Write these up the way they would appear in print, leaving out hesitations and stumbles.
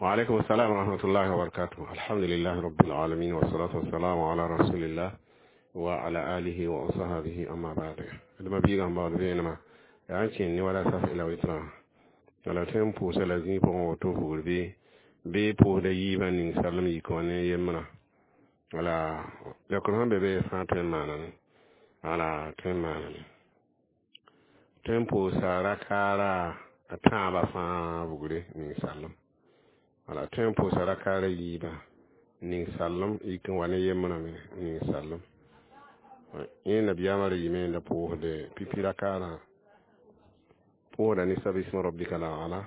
وعليكم السلام ورحمة الله وبركاته. الحمد لله رب العالمين، والصلاة والسلام على رسول الله وعلى آله وصحبه، أما بعد. D ma biigã sẽn baood vẽenemã yaa n kẽnd ne wala saf la wɩtrã wala tõe n pʋʋsa la zĩig pʋgẽ woto vugr bɩ bɩ pʋʋsda yiibã ning salem yik wã ne yembrã. Wala leokr sẽn be be fãa tõe n maaname, wala tõe n maaname, tõe n pʋʋsa rakaara a tãabã fãa vugre ning salem, wala tõe n pʋʋsa rakaara yiibã ning salem yik n wa ne yembrã me ning salem. Yẽ nabiyaamã ra yɩme n da pʋʋsde pipi rakaarã, pʋʋsda ne sabisma rabbika la ala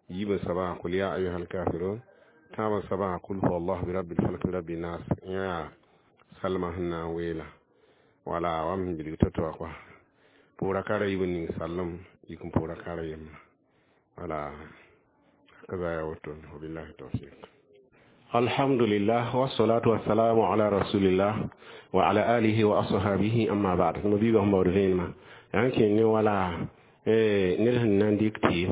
yiib n soabã qul ya ayuha alkafirun, tãab n soabã qul huwa allah bi rabbil falak bi rabbi nas. Yẽ yaa salmã sẽn na n weela wala wam sẽn bilg to-to wã kɔa pʋʋs rakaara yiib n ning salem yik n pʋʋs rakaara yembrã. Wala hakaza yaa woto. Wabillahi tawfiq. Alhamdulillah, wassalatu wassalamu ala rasulillah wa ala alihi wa ashabihi, amma ba'd. Ma biiga sẽn baood vẽenemã yaa n kẽnd ne wala ned sẽn na n dɩk tɩɩm,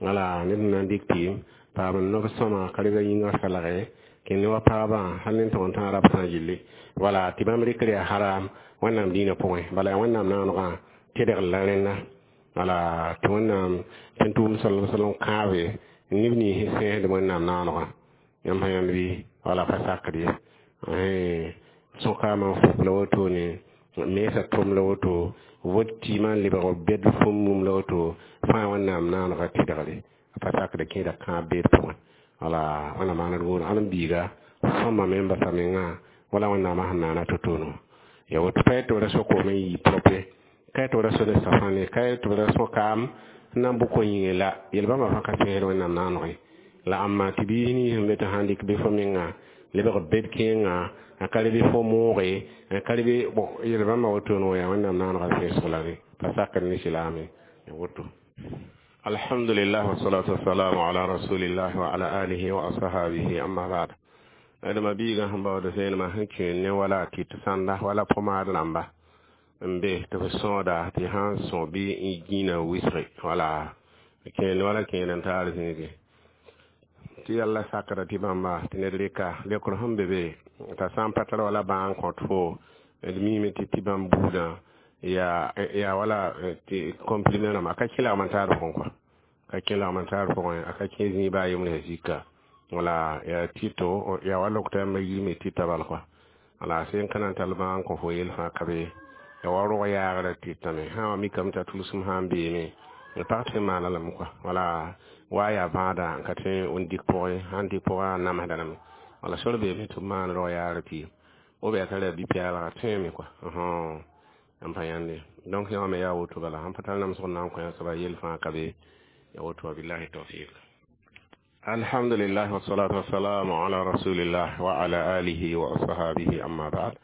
wala ned sẽn na n dɩk tɩɩm paam n nob sõma ka rega yĩngã salge kẽnd ne wa pagbã hal ne n tog n tãag rabsã gilli, wala tɩ bãmb rɩkr yaa haram Wẽnnaam dĩinã pʋgẽ. Bala yaa Wẽnnaam naanegã tedgr la rẽnna, wala tɩ Wẽnnaam tẽn tʋʋm salm salm kãabe neb nins sẽn sẽsd Wẽnnaam naanegã. Yãmb sã yãnd bɩ wala pa sakd ye sõkaamã n fuk la wotone, mensa tʋm la woto, vot tɩɩmã n lebg bɛd fũm mum la woto fãa Wẽnnaam naanegã tɩdgre a pa sakd kẽeda kãab beed pʋgẽ. Wala Wẽnnaam maaned woor ãdem biiga sõma me n basa mengã wala Wẽnnaamã sẽn naana to-tono ya woto. Pa tɩ b ra so-koom n yɩ propre, ka tɩ b ra so ne safãne, ka tɩ b ra so-kaam n na n bʋ ko-yĩngẽ la yel-bãmba fãa ka sẽsd Wẽnnaam naanegẽ la ãmba tɩ biis nins sẽn be tɩ sãn dɩk bɩ fo menga lebg bed kẽengã a ka rebe fo mooge a ka rebe bon yel-bãmba wotone yaa Wẽnnaam naanegã sẽsg la re pa sakd ne silaame ya woto. Alhamdulillah, wassalatu wassalamu ala rasulillah wa ala alihi wa ashabihi, amma ba'd. Adama biigã sẽn baood vẽenemã sẽn kẽen ne wala tɩ tɩ sãnda wala pomaad rãmba n be tɩ f sõoda tɩ sã n sõ bɩ n gĩinã wɩsge, wala kẽen wala kẽen n taar zĩige tɩ yalla sakra tɩ bãmba tɩ ned rɩka leokr sẽn be be t'a sã n pa tar wala bãag n kõt fo d miime tɩ bãmb buudã yaa wala tɩ comprimé rãmba a ka kẽ lagm n taar pʋgẽ kɔa, ka kẽ lagm n taar pʋgẽ, a ka kẽ zĩig baa yembre sã zika wala yaa tɩto yaa wa lokta yãmba yirme tɩta bal kɔa. Wala sẽn ka na n tall bãag n kõ fo yel fãa ka be ya wa rog yaagrã tɩtame sã wa mikame t'a tʋlsem sã n beeme d pag tɩ n maana lame kɔa, wala wa yaa bãada n ka tõe n dɩk pʋgẽ, sãn dɩk pʋgã a namsda lame. Wala sor beeme tɩ b maan rog yaagr tɩ o be yaa tara bi-pɛɛlga tõeme kɔa n pa yãnde. Donc yã wã me yaa woto bala sãn pa tar namsg n na n kõ yã soaba yel fãa ka be ya woto. Wabillahi tawfiq. Alhamdulillah, wassalatu wassalamu ala rasulillah wa ala alihi wa ashabihi, amma ba'd.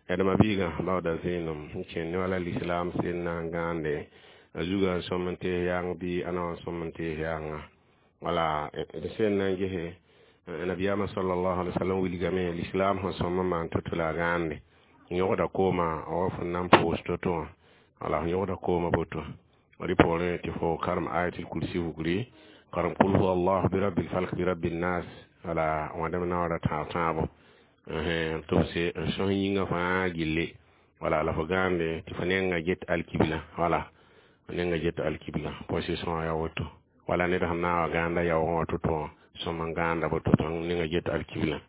Adama biigã baooda vẽenem n kẽnd ne wala l'islam sel na n gãande a zugã n sõm n tees yaang bɩ a na n sõm n tees yaanga. Wala d sẽn na n gese nabiyaamã sallallahu alaihi wasallam wilgame l'islam sẽn sõm n maan to-to la a gãande yõgda kooma wa fõn na n pʋʋs to-to wã, wala f yõgda kooma boto rɩ poorẽ tɩ fo karem ayatul kursi vugri, karem qul huwa allah bi rabbil falk bi rabbin nas, wala wãdem naoora tãab tãabo tɩ f se n sõs yĩngã fãa gilli, wala la fo gãande tɩ fo nenga get alkibla, wala fo nenga get alkibla position yaa woto. Wala ned sẽn na n wa gãanda yaoogẽ wã to-to wã sõm n gãanda boto tɩ nenga get alkibla.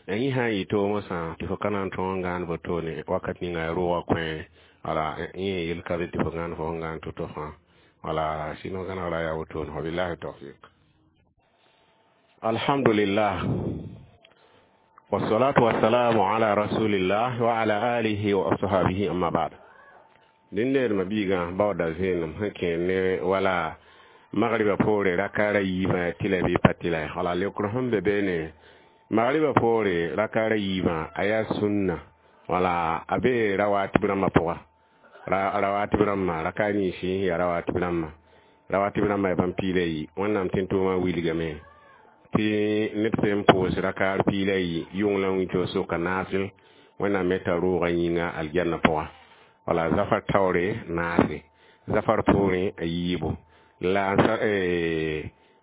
Yẽ sã n yɩ toomã sã tɩ fo ka na n tõog n gãand botone wakat ninga yaa roogã kõ, wala yẽ yel ka be tɩ fo gãand fo sẽn gãand to-to fãa, wala sɩno gãnegra yaa wotone. Wabillahi tawfiq. Alhamdulillah, wassalatu wassalamu ala rasulillah wa ala alihi wa ashabihi, amma ba'd. Dĩndeedmã biigã baooda vẽenem sẽn kẽer ne wala magriba poore rakaara yiibã tɩ la bɩ pa tɩ la, wala leokr sẽn be beene magriba poore rakaara yiibã a yaa sũnna, wala a bee rawatib rãmbã pʋga, rawatib rãmbã raka ninsi yaa rawatib rãmbã, rawatib rãmbã yaa bãmb piila yi. Wẽnnaam tẽn-tʋʋmã wilgame tɩ ned sẽn n pʋʋs rakaar piila yi yʋng la wĩnto soka naasel Wẽnnaam me t'a roogã yĩnga aljanna pʋga. Wala zafar taoore naase zafar poorẽ a yiibo la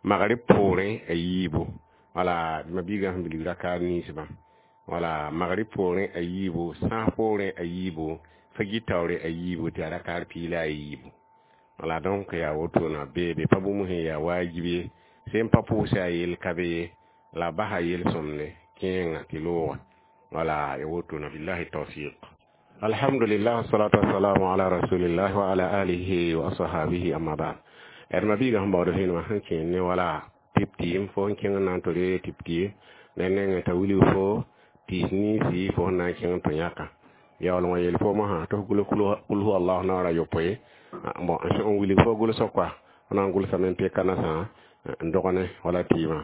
Magrib poorẽ a yiibu, wala ma-biigã sẽn bilg rakaad ninsbã, wala magrib poorẽ a yiibu, sãas poorẽ a yiibu, fajir taoore a yiibu, tɩ yaa rakaad piig la a yiibu. Wala donc yaa wotona beebe pa bũmb sẽn yaa waajib ye, sẽn pa pʋʋsa a yell ka be ye, la basa yel-sõmde kẽenga tɩ looga. Wala ya wotona, billahi tawfiq. Alhamdulillah, wassalatu wassalamu ala rasulillah wa ala alihi wa ashabihi, amma ba'd. D ma-biigã sẽn baood vẽenemã sẽn kẽer ne wala tɩp tɩɩm, fo sẽn kẽng n na n tɩ ree tɩp tɩɩm ne nengẽ t'a wilg fo tɩɩs ninsi fo sẽn na n kẽng n tũ yãka. Yaool wã yel fo mosã tɩ f gʋls kul hu allah naoor a yopoe. Bon, n wilg fo gʋlsg kɔa, f na n gʋlsame n peka nasã n dog ne wala tɩɩmã.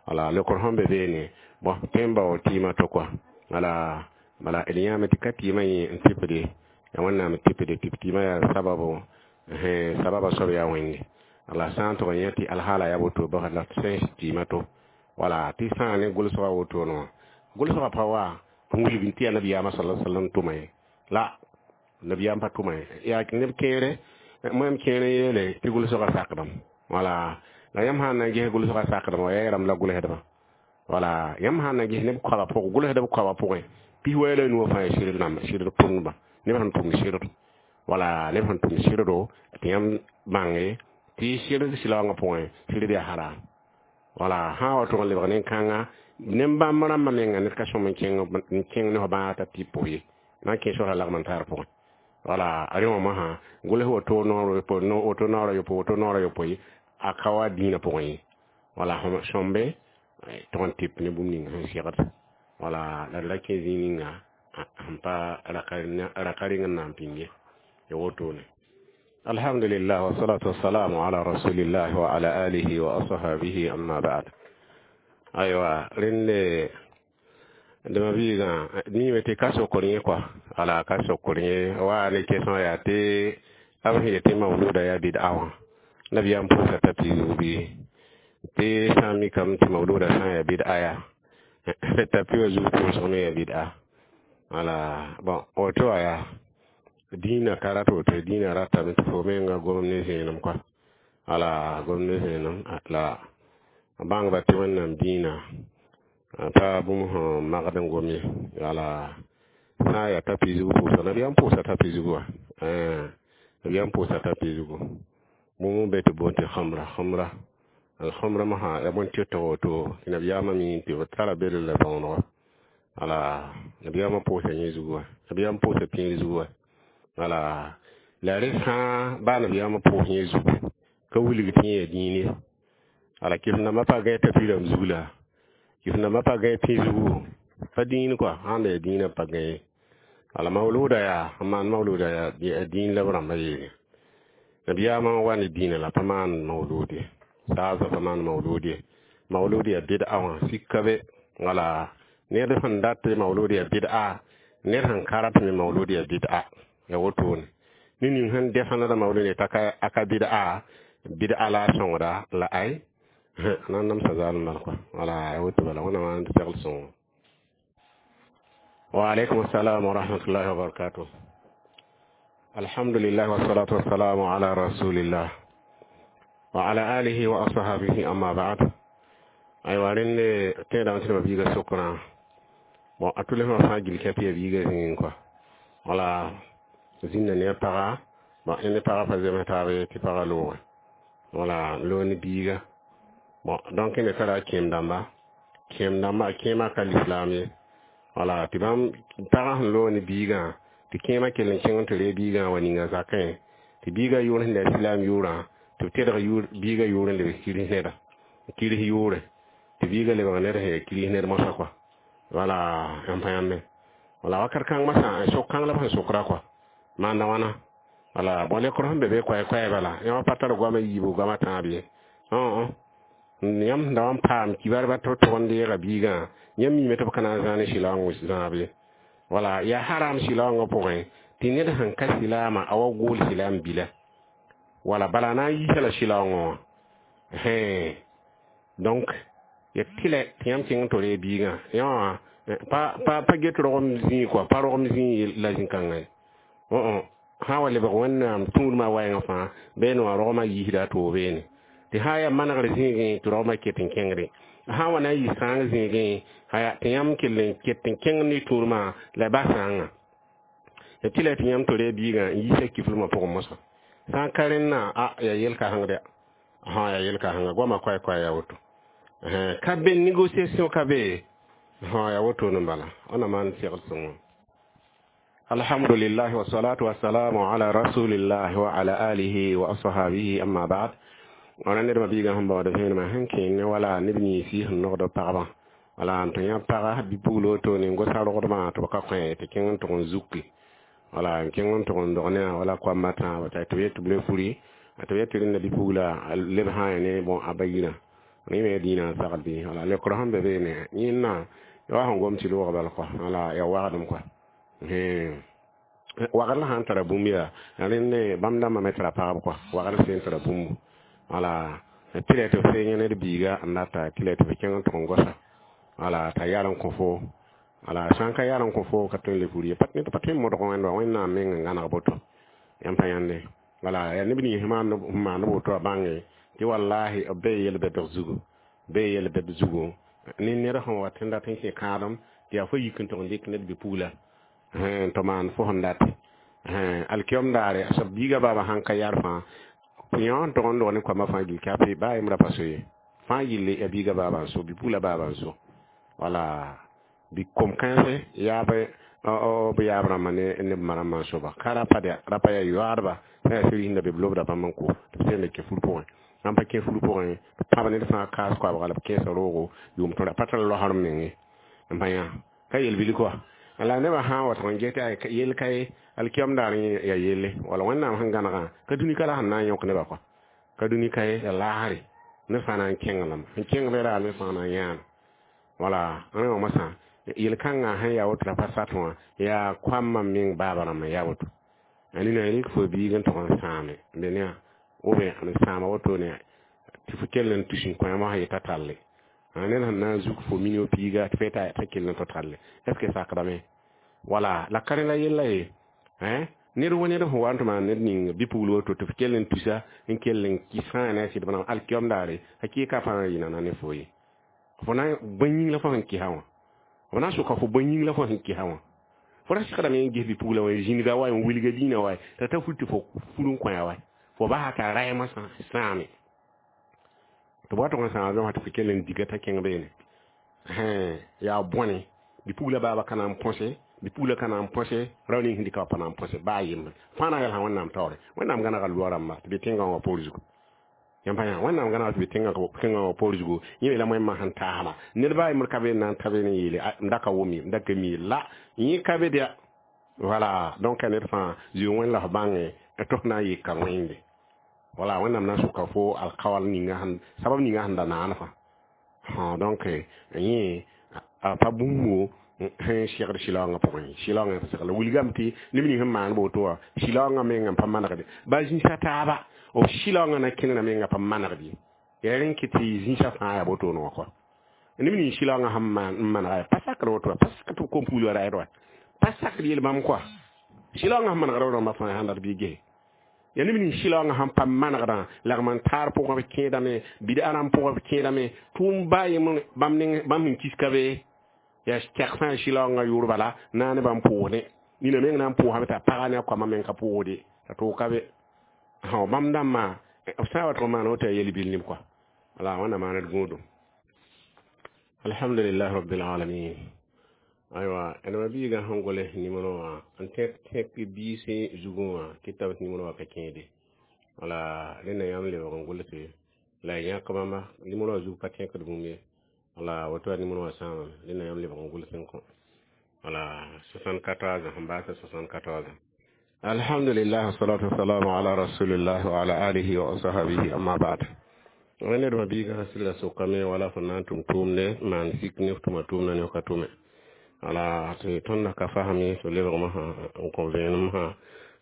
Wala lekr sẽn be beene, bon, tõe n bao tɩɩmã to kɔa. Wala bala d yãame tɩ ka tɩɩmã yẽ n tɩpde yaa Wẽnnaam tɩpde tɩ tɩɩmã yaa sababo, sababa soab yaa Wẽnde. La sã n tʋg n yẽ tɩ alhaala yaa woto bas la sẽn tɩɩmã to, wala tɩ sã ne gʋlsgã wotone wã, gʋlsgã pa wa n wilg tɩ yaa nabiyaamã sala sallam tʋma ye, la nabiyaam pa tʋma ye. Yaa neb kẽere mõem kẽer n yeele tɩ gʋlsgã sakdame. Wala la yãmb sã n na n ges gʋlsgã sakdame wa yɛɛrame la gʋlsdbã. Wala yãmb sã n na ges neb koabã pʋgẽ, gʋlsdb koabã pʋgẽ pis-wɛ la nuwã fãa sɩd rãmba, sɩd tʋmdbã, neb sẽn tʋm sɩd, wala neb sẽn tʋm sɩddo tɩ yãmb bãnge tɩ sɩd sɩlaoongã pʋgẽ sɩd yaa haram. Wala sã n wa tʋg n lebg nin-kãnga nen-bãmb rãmbã menga, ned ka sõm n kẽng ne fo bãag t'a tɩ pʋs ye, na n kẽ sora lagm n tar pʋgẽ. Wala rẽ wã mosã gʋls woto noor woto naoor a yopoe, woto naoor a yopoe, a ka wa dĩinã pʋgẽ ye. Wala sõmbe tʋg n tɩp ne bũmb ning sẽn segd. Wala la d ra kẽ zĩig ninga sẽn pa raka reng n na n pĩnd ye, ya wotone. Alhamdulillah, wassalatu wassalamu ala rasulillah wa ala alihi wa ashabihi, amma ba'd. Aywa, rẽnde d ma-biigã miime tɩ ka sokr yẽ kɔa. Wala ka sokr yẽ wa ne question yaa tɩ b sẽn yet tɩ mawluda yaa bid'a wã, nabiyaam pʋʋsa t'a tɩ zug bɩ tɩ sã n mikame tɩ mawluda sã n yaa bid'a yaa tapi wã zug pʋʋsg me yaa bid'a. Wala bon, woto wã yaa dĩinã ka rat woto, dĩinã ratame tɩ fo menga gom ne zẽenem kɔa. Wala gom ne zẽenem la bãngba tɩ Wẽnnaam dĩinã pa bũmb sẽn magd n gom ye. Wala sã n yaa tapi zug pʋʋsg, nabiyaam pʋʋsa tapi zugu wã, nabiyaam pʋʋsa tapi zugu. Bũmb n be tɩ boond tɩ khamra, khamra, alhamra mosã yaa bõn tɩ woto tɩ nabiyaamã mi tɩ b tara bel la bõonego. Wala nabiyaamã pʋʋsa yẽ zugu wã, nabiyaam pʋʋsa pĩig zugu wã. Wala la rẽ fãa baa nabiyaamã pʋʋs yẽ zugu ka wilg tɩ yẽ yaa dĩin ye. Wala kɩf nambã pa gãe tapi rãmb zug la kɩf nambã pa gãe pĩ zugu pa dĩin kɔa, sãn da yaa dĩinã pa gãe. Wala mawluda yaa n maan mawluda yaa dĩin la b rãmbã yeele nabiyaamã n wa ne dĩinã la pa maan mawlud ye, saasã pa maan mawlud ye. Mawlud yaa bɩd'a wã sika be. Wala ned sẽn dat tɩ mawlud yaa bɩd'a, ned sẽn ka rat me mawlud yaa bɩd'a, ya wotone. Ne ning sẽn defãnda mawlud ye t'a ka bɩd'a, bɩd'a la a sõngda la ay na n namsa zalem bala kɔa. Wala ya woto bala, Wẽnnaam n segl sõngo. Wa alaikum assalam wa rahmatullahi wa barakatuh. Alhamdulillah, wassalatu wassalamu ala rasulillah wa ala alihi wa ashabihi, amma ba'd. Aywa, rẽnde tẽedame tɩ ma biiga sokrã, bon, a tʋlsmã fãa gil kɛp ya biiga zĩigẽ kɔa. Wala zĩnda ne a paga, bon, ne pagã pa zems taab ye, tɩ pagã loogẽ, wala loog ne biiga. Bon, donc ne tara kẽem dãmba, kẽem dãmba kẽemã ka lislaam ye. Wala tɩ bãmb pagã sẽn loog ne biigã, tɩ kẽemã kell n kẽng n tɩ ree biigã wa ninga zakẽ, tɩ biigã yʋʋr sẽn la silaam yʋʋrã, tɩ b tedg biigã yʋʋr n lebg kirs neda, kirs yʋʋre, tɩ biigã lebg ned sẽn yaa kirs ned mosã kɔa. Wala yãmb pa yãmbe. Wala wakat kãng masã sok kãng la b sẽn sokra kɔa maanda wãna. Wala bõ, lekr sẽn be be koɛɛ-koɛɛ bala, yãmb pa tar goamã yiibu, goamã tãab ye. Yãmb sẽn da wa n paam kibarba tɩ b tʋg n deega biigã, yãmb miime tɩ b ka na n zãa ne sɩlaoong zãab ye. Wala yaa haram sɩlaoongã pʋgẽ tɩ ned sẽn ka silaamã a wa gool silaam bila, wala bala na n yiisa la sɩlaoongã wã. Donc ya tɩlɛ tɩ yãmb kẽng n tɩ ree biigã yã wã pa pa pa get rogem zĩig kɔa, pa rogem zĩig la zĩ-kãngã ye. Sã n wa lebg Wẽnnaam tũudmã wɛɛngã fãa beene wã, rogmã yiisda a toog beene. Tɩ sã n yaa manegr zĩigẽ tɩ raoomã ket n kẽngde, sã n wa na n yɩ sãang zĩigẽ, aya tɩ yãmb kell n ket n kẽng ne tũudmã la y bas sãangã. Tɩ la tɩ yãmb tore biigã n yiisa kiflmã pʋgẽ mosã. Sã n ka rẽnna, a yaa yel-kãsengd ya, yaa yel-kãsenga goamã koɛ-koɛ yaa woto. Ka be négociation ka be, yaa wotone n bala. Wẽnnaam maan segd sõngo. Alhamdulillah wa salatu wa salamu ala rasulillah wa ala alihi wa ashabihi, amma ba'd. Wala ned ma biigã sẽn baood vẽenemã sẽn kẽene wala neb yĩns sẽn nogd pagba, wala n tɩ yã paga bi-pugl wotone n gosa rogdmã tɩ b ka kõ tɩ kẽng n tʋg n zuki, wala n kẽng n tʋg n dog ne a wala koamba tãaba tɩ b yet tɩ b le furi, tɩ b yet tɩ rẽnda bi-pugla leb sã n ne bõn a ba yirã yẽ me dĩinã n sagl bɩ wala leokrã sẽn be beene yẽnna ya sẽn gom tɩ loog bal kɔa, wala ya wagdem kɔa. Wagr la sãn tara bũmb yaa rẽnd bãmb dãmbã me tara pagb kɔa, wagr sẽn tara bũmbu, wala tɩ la tɩ f sẽng ned biiga n data tɩ la tɩ f kẽng n tʋg n gosa, wala t'a yar n kõ fo, wala sã n ka yar n kõ fo ka tõe n le fur ye ned pa tõe n modg wẽnd wa Wẽnnaam meng n gãneg boto yãmb pa yãnde. Wala yaa neb nins sẽn maand woto a bãnge tɩ wallahi b bee yel-bɛdg zugu, bee yel-bɛd zugu ne ned sẽn wat n dat n kẽ kãadem tɩ yaa fo yik n tʋg n dɩk ned bi-pugla tɩ maan fo sẽn date alkiyom daare a soab biiga baaba sãn ka yar fãa yõ n tʋg n dog ne koamã fãa gill kape baa yembra pa so ye fãa yille ya biiga baaba n so, bi-pugla baaba n so, wala bi kom-kãense yaab b yaab rãmbã ne b ma rãmbã n soba ka rapa dɛ rapa yaa yoaadba sã yaa sɩr yĩnda be b lobda bãmb n ko tɩ b sẽn le kẽ fur pʋgẽ. Sãn pa kẽ fur pʋgẽ, b pãb ned fãa kaas koabga la b kẽesa roogo yʋʋm tõra pa tar loasr menge n pa yã ka yel-bil kɔa. La nebã sã n wa tʋg n get yel ka ye alkiyom daar ya yelle, wala Wẽnnaam sẽn gãnegã ka dũni ka la sẽn na n yõk nebã kɔa, ka dũni ka ye ya laasre ne fãa na n kẽng lame sẽn kẽng be raar me fãa na n yãana. Wala rẽ wã mosã yel-kãngã sẽn yaa woto la pa sat wã yaa koambã meng baaba rãmbã yaa woto. A nina rɩk fo biig n tʋg n sãame be ne ou bien n sãama wotone tɩ fo kell n tus n kõ yãmb sã yeta talle ned sẽn na n zuk fo minio piiga tɩ fo yeta t'a kell n tɩ talle est ce que sakdame? Wala la ka rẽ la yella ye ned wa ned sẽn wa n tɩ maan ned ning bi-pugl woto tɩ f kell n tusa n kell n kɩs fãa ne a sɩd bãna alkiyom daare hakɩɩka fãa n yɩ nana ne fo ye fo na bõe yĩng la fo sẽn kɩsa wã, fo na n soka fo bõe yĩng la fo sẽn kɩsa wã. Fo ra segdame n ges bi-pugla wã zĩniga wa n wilga dĩinã wa t'a ta fur tɩ fo fur n kõ wa fo basa t'a raɛmã sãame tɩ b wa tʋg n sãama bẽ wã tɩ fo kell n diga t'a kẽng beene yaa bõne bi-pugla baaba ka na n põse, bi-pugla ka na n põse, rao ning sẽn dɩka wã pa na n põse baa yembre fãa na n yɛlsa Wẽnnaam taoore. Wẽnnaam gãnega loa rãmba tɩ be tẽngã wã poor zugu yãmb pa yã Wẽnnaam gãnega tɩ be tẽngã wã poor zugu yẽ yeela moẽmã sẽn taasma ned baa yembr ka be n na n ta be n yeele m da ka wʋm ye m da ka mi la yẽ ka be dɩa. Voilà, donc ned fãa zĩig wẽnd la f bãnge tɩ f na n yɩka wẽnde. Wala Wẽnnaam na n sʋka fo alkawal ninga sẽn sabab ninga sẽn da naan fãa. Donc yẽ a pa bũmbo sẽn segd sɩlaoongã pʋgẽ, sɩlaoongã pa segl wilgame tɩ neb ning sẽn maan woto wã sɩlaoongã mengã n pa manegde ba zĩisa taaba b sɩlaoongã na kẽnera mengã pa manegd ye yaa rẽn kɩ tɩ zĩisã fãa yaa wotone wã kɔa neb ning sɩlaoongã sẽn n manega ya pa sakr woto wa pa sakr tɩ b kom pugl wa raɛd wa pa sakr yel bãmb kɔa sɩlaoongã sẽn manegda rãmba fãa sãn dat bɩ gese ya neb ning sɩlaoongã sẽn pa manegdã lagm n taar pʋgã b kẽedame bɩd-a rãmb pʋgã b kẽedame tʋʋm baa yembr bãmb sẽn kis ka be ya tɛk fãa sɩlaoongã yʋʋr bala na ne bãmb pʋʋsdẽ nina meng na n pʋʋsame t'a paga ne a koamã meng ka pʋʋsde t'a tʋʋg ka be bãmb dãmbã b sã n wa tʋg n maan woto yaa yel-bil neb kɔa. Wala wẽnnaam maan d gũudum. Alhamdulillah rabbil alamin. Aywa neba biigã sẽn goles nimero wã n tẽk tẽk biisẽ zugẽ wã kɩ t'a b nimero wã ka kẽede, wala rẽnda yãmb lebg n gʋlse la y yãk bãmba nimero wã zug pa tẽkd bũmb ye, wala woto yaa nimero wã sãamame rẽnda yãmb lebg n gʋls n kõ, wala 74 sẽn baasa 74. Alhamdulillah, wassalatu wassalamu ala rasulillah wa ala alihi wa ashabihi, amma ba'd. Ned biigã sɩlla sʋkame wala fo na n tʋm tʋʋmde maan sik ne f tʋma tʋʋmda ne f ka tʋme, wala tɩ tõnd ka fasme tɩ lebgmã sã n kõ vẽenem sã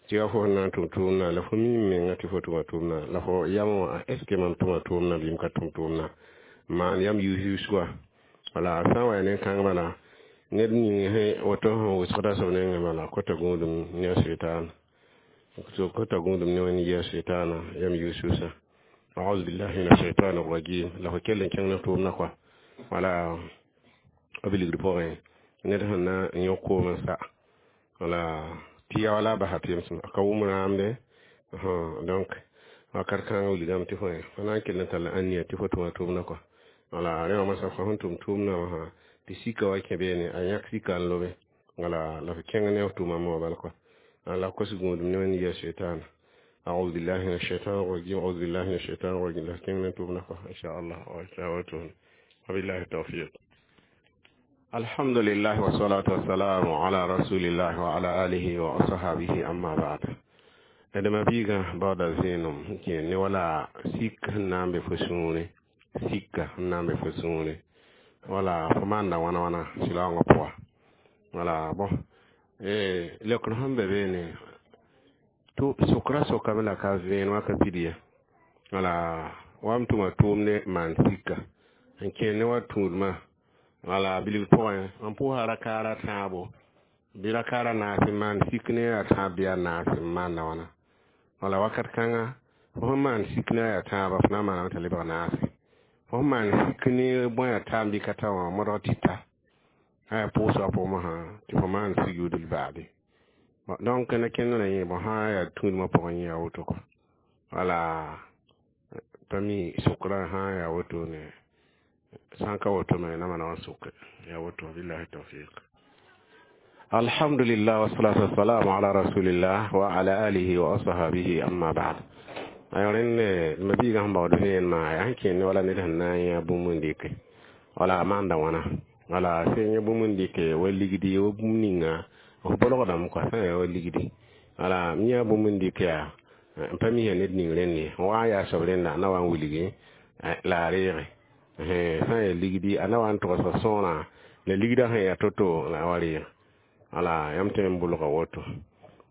tɩ yaa fo sẽn na n tʋm tʋʋmdã la fo mim menga tɩ fo tʋma tʋʋmdã la fo yam wã est ce que mam tʋma tʋʋmdã bɩ m ka tʋm tʋʋmdã maan yam yus-yus wa. Wala sã n wa yaa nen-kãng bala ned ning sẽ woto sẽn wʋsgda soab nengẽ bala kota gũudum ne a sʋɩtaana, kota gũudum ne wẽnd yɩ a sʋɩtaana yam yus-yusã. A'udhu billahi minash shaitanir rajim. La fo kell n kẽng ne tʋʋmdã kɔa. Wala b ligd pʋgẽ ned sẽn na n yõ koom n sa, wala tɩ ya wala a basa tɩ a ka wʋm rãamde. Donc wakat kãngã wilgame tɩ fo na n kell n tall ãniya tɩ fo tʋma tʋʋmdã kɔa. Wala rẽ wã masã fo sẽn tʋm tʋʋmdã wã sã tɩ sika wa kẽ beene, a yãk sika n lobe, wala la fo kẽng ne f tʋʋma moa bal kɔa. La kos gũudum ne wẽnd yia shaitan. أعوذ بالله من الشيطان الرجيم، أعوذ بالله من الشيطان الرجيم. لا كن توبنا إن شاء الله. وبالله التوفيق. الحمد لله والصلاة والسلام على رسول الله وعلى آله وصحبه، أما بعد. عندما بيغا بعد زينم كي ولا سيك نام بفسوني، سيك نام بفسوني، wala fo maanda wãna wãna sɩlaoongã pʋga. Wala bõ lekr sẽn be beene tɩ sʋkra sokame la ka vẽen wã ka pid ye. Wala wa m tʋma tʋʋmde maan sika n kẽer ne wa tũudmã. Wala bilg pʋgẽ n pʋʋsa rakaara tãabo bɩ rakaara naas n maan sik ne a tãab bɩ a naas n maanda wãna. Wala wakat kãnga fo sẽn maan sik ne a tãaba, fo na n maaname t'a lebg naase. Fo sẽn maan sik ne bõe a taam bɩ ka ta wã modg tɩ ta aya pʋʋsga pʋgẽ mosã tɩ fo maan sujudl baade. Donc na kẽnd na yẽ bõ sã yaa tũudmã pʋgẽ yẽ yaa woto kɔ. Wala pa mi sʋkrã sã yaa woto ne sã n ka woto me na maana wã sʋke yaa woto. Billahi tawfiq. Alhamdulillah wassalatu wassalamu ala rasulillah wa ala alihi wa ashabihi, amma ba'd. Ayo rẽnd ma biigã sẽn baood vẽenemã yaa sẽn kẽnd wala ned sẽn na n yã bũmb n dɩke wala a maanda wãna. Wala sẽn yã bũmb n dɩke wa ligdi wa bũmb ninga f bolgdame kɔa sã n yaa wa ligdi. Wala m yã bũmb n dɩk yaa n pa misã ned ning rẽnd ye wa n yaa soab rẽnda a na wa n wilgi la a reege sã n yaa ligdi a na wa n togsg sõorã la ligdã sẽn yaa to-to la wa reeg. Wala yãmb tõe n bʋlga woto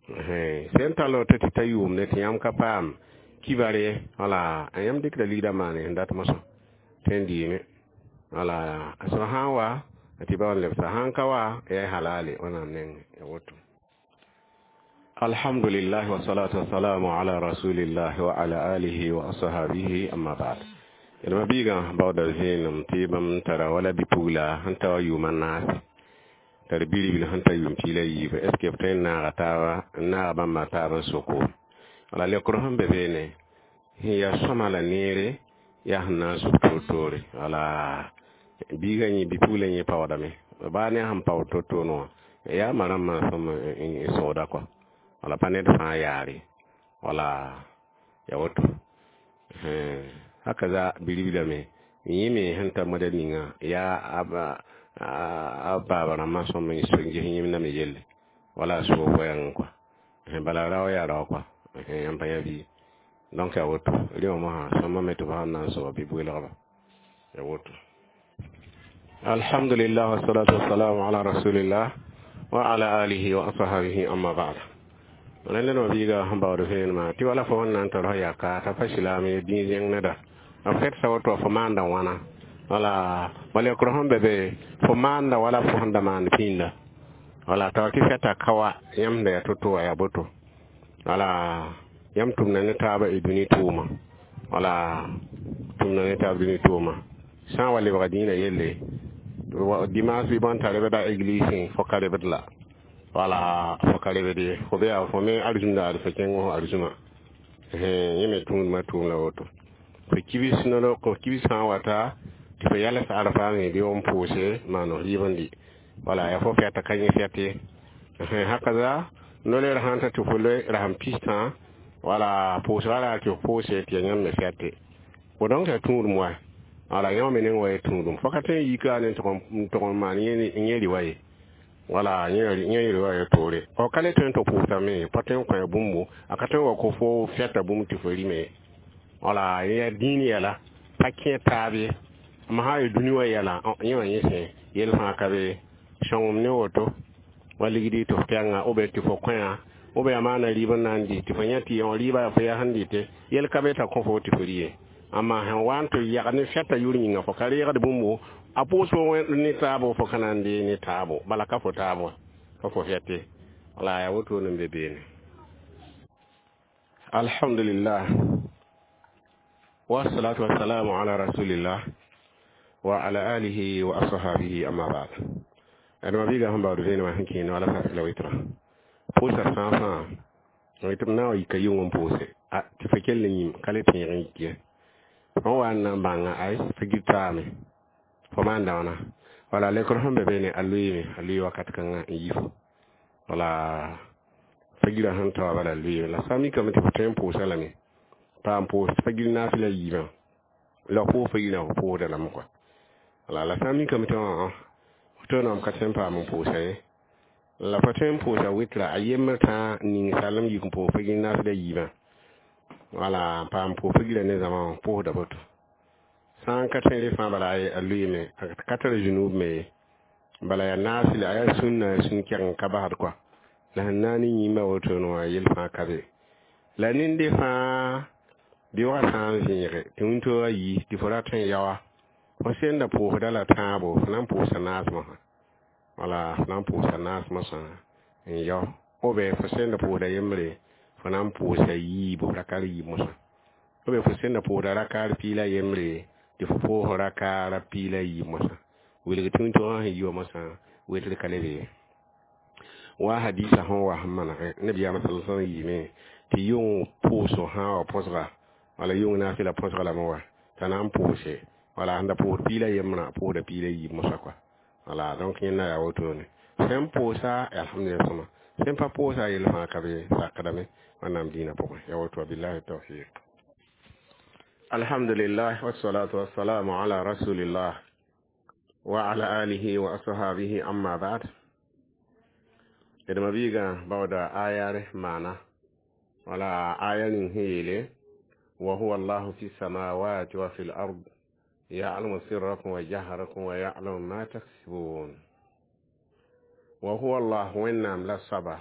sẽn tall woto tɩ ta yʋʋmde tɩ yãmb ka paam kibar ye. Wala yãmb dɩkda ligdã maane sẽn dat mosã tõe n dɩɩme. Wala a soab sã n wa tɩ ba n lebsa, sãn ka wa yaa halale wẽnnaam nengẽ ya woto. Alhamdulillah wassalatu wassalamu ala rasulillah wa ala alihi wa ashabihi, amma ba'd. Yelma biigã baooda vẽenem tɩ bãmb tara wala bi-pugla sẽn ta wa yʋʋmã naase tar biribil sẽn ta yʋʋm 17. Est ce que b tõe n naaga taaba, n naaga bãmba taab n soko? Wala lekr sẽn be beene sẽn yaa sõma la neere yaa sẽn na n sʋk toor-toore. Wala biigã yẽ bi-pugla yẽ paoodame baa ne sẽn paood to-toor wã yaa ma rãmbã sõm n sõgda kɔa. Wala pa ned fãa yaare. Wala ya woto hakaza biribilame yẽ me sẽn ta moda ninga yaa a baaba rãmbã sõm n ges yẽmdã me yelle wala a soog goɛɛngẽ kɔa. Bala rao yaa rao kɔa yãmb pa yã bii. Donc ya woto rẽ wã mosã sõma me tɩ b sãn na n soaba bɩ welgba ya woto. Alhamdulillah wassalatu wassalamu ala rasulillah wa ala alihi wa ashabihi, amma ba'd. Rẽnd wã biiga sẽn baood vẽenemã tɩ wala fo sẽn na n tar f yaka t'a pa silaam ye dĩig zẽng neda b fɛtsa woto fo maanda wãna. Wala malɛkr sẽn be be fo maanda wala fo sẽn da maand pĩnda. Wala t'a tɩ fɛta ka wa yãmb sẽn da yaa to-to wã yaa boto. Wala yãmb tʋmda ne taabã y dũni tʋʋma. Wala tʋmda ne taab dũni tʋʋma sã n wa lebga dĩinã yelle dimanche bɩ bõn t'a rebda église fo ka rebd la. Wala fo ka rebd ye fo be yaa fo me arzũmdaad fo kẽng fo arzũma yẽ me tũudmã tʋʋm la woto. Fo kibis nolo ko kibis sã n wata tɩ fo yals arfa me bɩ n pʋʋse maan f rɩɩb n dɩ. Wala yaa fo fɛta ka yẽ fɛt ye. Hakaza noler sãn ta tɩ fo loe rasem pistã wala pʋʋsga ra tɩ f pʋʋse tɩ yaa yãmb me fɛte fo. Donc yaa tũudum wa. Wala yã me neng wa ya tũudum fo ka tõe n yika ne n tʋg n maan yẽ rɩ ye. Wala yẽ rɩ wa ya toore f ka le tõe n tɩ pʋʋsame pa tõe n kõ bũmbo a ka tõe n wa ko fo fɛta bũmb tɩ fo rɩme. Wala yaa dĩin yɛla pa kẽ taab ye ma sã n yaa dũni wã yɛla yẽ wã yẽ sẽ yell fãa ka be sõngem ne woto wa ligdi tɩ f pɛnga b tɩ fo kõya b yaa maana rɩɩb n na n dɩ tɩ fo yã tɩ yõ rɩɩba yaa fo yaa sẽn dɩte yell ka be t'a kõ fo tɩ fo rɩ ye. Amma sẽn wa n tɩ yag ne fɛta yʋr yĩnga fo ka reegd bũmbo a pʋʋs fo ne taabo fo ka na n dee ne taabo bala ka fo taabo ka fo fɛte. Wala yaa woto n be beene. Alhamdulillah. Wassalatu wassalamu ala rasulillah wa ala alihi wa ashabihi, amma ba'd. Adama biiga sẽn baood vẽenemã sẽn kẽene wala fasla wɩtra pʋʋsa fãa fãa tɩ b na n yika yʋng n pʋʋse tɩ fo kell n yĩm ka le tẽeg n yik ye. Fõ wa n na n bãnga ay fo gil taame fo maan dãona wala lekr sẽn be beene a lʋɩɩme a lʋɩ wakat kãngã n yi fo wala fo gira sẽn ta wa bala lʋɩɩme la sã n mikame tɩ fo tõe n pʋʋsa lame pa n pʋʋs fo gil naafɩla yiibã la pʋʋs fo girã fo pʋʋsda lame kɔa wala la sã n mikame tɩ fo tõe n ka tõe n paam n pʋʋsa ye la fo tõe n pʋʋsa wɩtra a yembr tãa n ning salem yik n pʋʋs fo gil naafɩla yiibã wala n paam pʋʋs fo gira ne zãma wã pʋʋsda boto sã n ka tõe rẽ fãa bala a lʋɩɩme a ka tar zũnub me ye bala yaa naasɩla a yaa sũnna sũn kɛg n ka basd kɔa la sẽn na ne yĩmba wotone wã yel fãa ka be la nende fãa beoogã sã n vẽege tɩ wĩntoogã yi tɩ fo ra tõe n yaoa fo senda pʋʋsda la tãabo fo na n pʋʋsa naas mosã wala fo na n pʋʋsa naas mosã n yao ou bien fo senda pʋʋsda yembre fo na n pʋʋsa yiibu rakar yiib mosã ou bien fo senda pʋʋsda rakar piila yembre tɩ fo pʋʋs rakaara piila yiib mosã wilg tɩ wĩntoogã sẽn yi wa mosã wetr ka le be ye wa hadisa sẽn wa sẽn manege nabiyaamã sala sallam yiime tɩ yʋng pʋʋsg sã wa põsga wala yʋng naafɩla põsga lame wa t'a na n pʋʋse wala sẽn da pʋʋsd piila yembrã pʋʋsda piila yiib mosã kɔa wala donc yẽnda yaa wotone sẽn pʋʋsa alhamdulillah sõma sẽn pa pʋʋsa yel fãa ka be sakdame wẽnnaam dĩinã pʋgẽ ya woto billahi tawfiq. Alhamdulillah wassalatu wassalamu ala rasulillah wa ala alihi wa ashabihi, amma ba'd. D mabiigã baooda ayare maana wala aya ning sẽn yeele wa huwa allahu fi samawati wa fi l-ard ya'lamu sirrakum wa jahrakum wa ya'lamu ma taksibun. Wa huwa allah wẽnnaam la soaba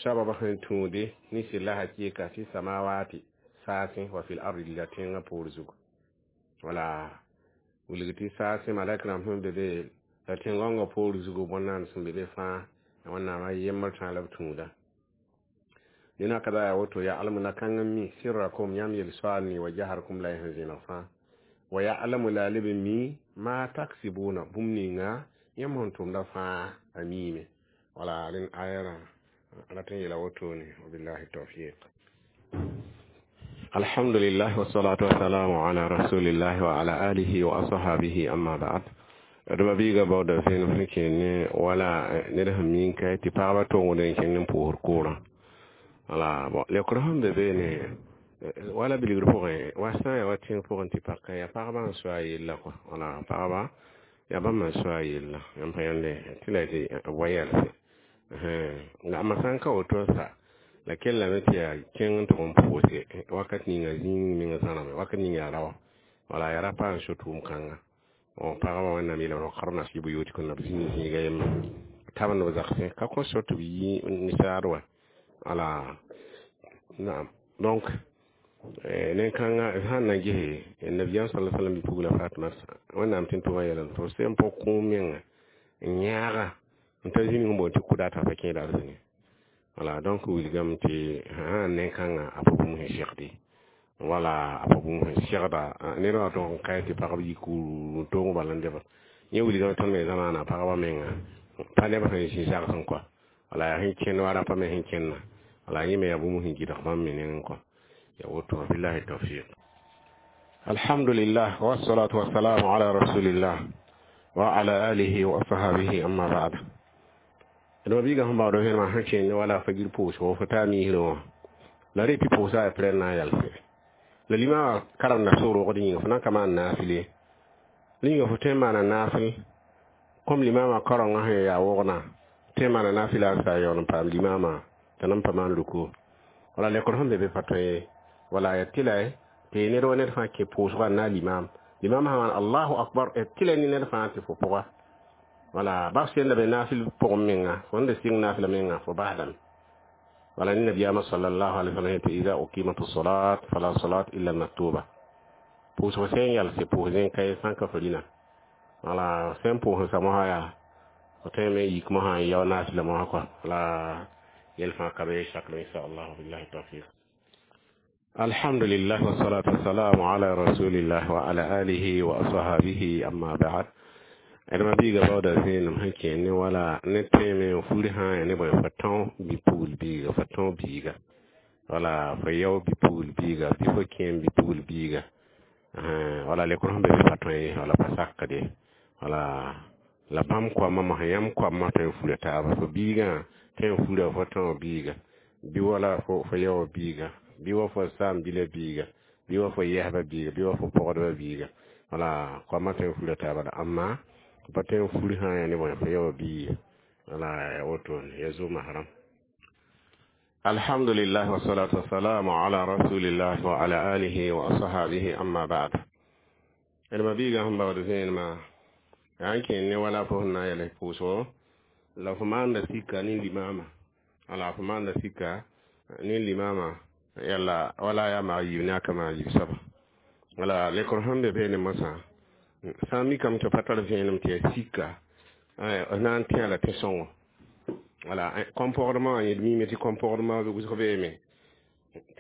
soaba sẽn tũude ne sɩlla hakɩɩka fi samawati saasẽ wa fi l-ardi la tẽngã poor zugu wala wilg tɩ saasẽ malɛk rãmb sẽn be be la tẽn-gãongã poor zugu bõn-naand sẽn be be fãa wẽnnaam a yembr tãa la b tũuda dẽna ka yaa woto ya'lamu la kãng n mi sirrakum yãmb yel-soaal ne wa jaharkum la y sẽn zẽneg fãa wa ya'lamu la leb n mi ma taksibuna bũmb ninga yãmb sẽn tʋmda fãa a miime wala rẽnd ayarã rat n yeela wotone wabillahi tawfiq. Alhamdulillah wassalatu wassalamu ala rasulillah wa ala alihi wa ashabihi, amma ba'd. D mabiiga baooda vẽenem sẽn kẽene wala ned sẽn mink tɩ pagba tongd n kẽng n pʋʋsd koorã wala bon lekr sẽn be beene wala bilgr pʋgẽ wa sã n yaa wa tẽng pʋgẽ tɩ paka yaa pagba n soa yella kɔa wala pagba yaa bãmb n soa yella yãmb pa yãnde tɩ la tɩ wa yɛlse la amma sã n ka woto sa la kellame tɩ yaa kẽng n tʋg n pʋʋse wakat ninga zĩig meng zãname wakat ning yaa raoa wala yaa ra pa n so tʋʋm kãnga pagba wẽnnaam yeelame waqarna fi buyutikunna b zĩig zĩiga yemma tabend b zagsẽ ka kõ so tɩ b yi nisaad wa wala naam. Donc nen-kãngã sãn na gese nabiyaam sala sallam bi-pugla Fatma wẽnnaam tɩ n tʋma yɛlẽ tɩ f sẽn pʋg kũum menga n yãaga n ta zĩnig n boond tɩ kʋdata pa kẽeda arzĩne wala. Donc wilgame tɩ sã nen-kãngã a pa bũmb sẽn segde wala a pa bũmb sẽn segda ned wã tʋg n kae tɩ pagb yik n tong bala n debd yẽ wilgame tõnd me zamaana pagba menga pa neb sẽn zĩ zagsẽ kɔa wala yaa sẽn kẽnd wa rapa me sẽn kẽnna wala yẽ me yaa bũmb sẽn gɩdg bãmb me nengẽ kɔa ya woto billahi tawfiq. Alhamdulillah wassalatu wassalamu ala rasulillah wa ala alihi wa ashabihi, amma ba'd. D mabiiga sẽn baood vẽenemã sẽn kẽnd wala fagir pʋʋsgo fo taa miisrẽ wã la rɩ tɩ pʋʋsa yaa pɩrɛ n na n yalse la limã wã karemda sʋgrogd yĩnga fo na n ka maan naafɩl ye la yĩnga fo tõe n maana naafɩl kom limaamã kaoorengã sẽn yaa wogna tõe n maana naafɩla a sa yaool n paam limaamã t'a nan pa maan ruku wala lekr sẽn be be pa tõe ye wala ya tɩla tɩ ned wa ned fãa kẽ pʋʋsgã n na limaam limaam sã maan allahu akbar tɩla ne ned fãa tɩ fo pʋga wala bas sẽnda be naafɩl pʋgẽ menga fo da sɩng naafɩla menga fo basdame wala ne nabiyaamã sallallahu alaihi wasallam tɩ ida uqimat salat fala salat illa maktuba pʋʋsg sẽn yalse pʋʋs zẽn ka ye sã n ka fo rĩna wala sẽn pʋʋs n sa mosã yaa fo tõe me n yik mosã n yao naafɩla mosã kɔa wala yel fãa ka be sakr inshallah billahi tawfiq. Alhamdulillah wassalatu wassalamu ala rasulillah wa ala alihi wa ashabihi, amma ba'd. D ma-biiga baooda zẽenem sẽn kẽ ne wala ne tẽeme n furi sã n ne bõe fo tão bi-pugl biiga, fo tão biiga, wala fo yao bi-pugl biiga, bɩ fo kẽem bi-pugl biiga, wala lekr sẽn be bɩ pa tõe ye, wala pa sakd ye, wala la bãmb koamã mosã, yãmb koamã tõe n fura taaba, fo biigã tõe n fura fo tão biiga, bɩ wala fo yao biiga, bɩ wa fo saam-bila biiga, bɩ wa fo yɛsba biiga, bɩ wa fo pɔgdba biiga, wala koamã tõe n fura taaba la amma pa tõe n fur sã n yaa ne bõe fo yao biiga, wala ya wotone ya zu mahram. Alhamdulillah wassalatu wassalamu ala rasulillah wa ala alihi wa ashabihi, amma ba'd. D ma-biigã sẽn baood zẽenemã yaa n kẽen ne wala fo sẽn na n yɛls pʋʋsgo la fo maanda sika ne limaamã, wala fo maanda sika ne limaamã, yalla wala yaa maa yiib ne a ka maa yiib soaba, wala lekr sẽn be beene mosã sã n mikame tɩ pa tar vẽenem tɩ yaa sika na n tẽ la tẽ-sõngo, wala comportement wã yẽd miime tɩ comportement wʋsg beeme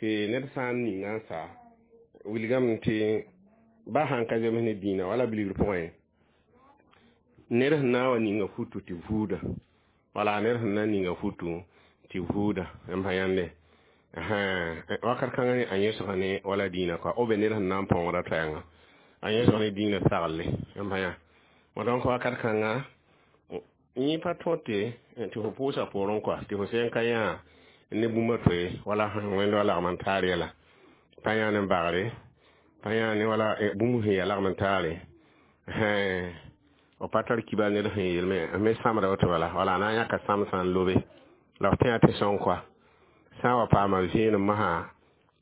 tɩ ned sã n ninga n sa wilgame tɩ ba sãn ka zems ne dĩinã wala bilgr pʋgẽ, ned sẽn na n wa ninga futu tɩ vuuda, wala ned sẽn na n ninga futu tɩ vuuda n pa yãnde wakat kãngã a yẽsga ne wala dĩinã kɔa ou bien ned sẽn na n põogra toɛɛngã a yẽsg ne dĩinã sagle n pa yã. Donc wakat kãnga yẽ pa tõte tɩ fo pʋʋsa poorẽ kɔa tɩ fo sẽn ka yã ne bũmb toe wala sẽn wẽnd wa lagm n taar yɛla pa yã ne bagre, pa yã ne wala bũmb sẽn yaa lagm n taare, f pa tar kibar ned sẽn yeelme me sãmda woto, bala wala a na n yãka sãmsã n lobe la f tẽa tɩ sõng kɔa sã n wa paama vẽenem mosã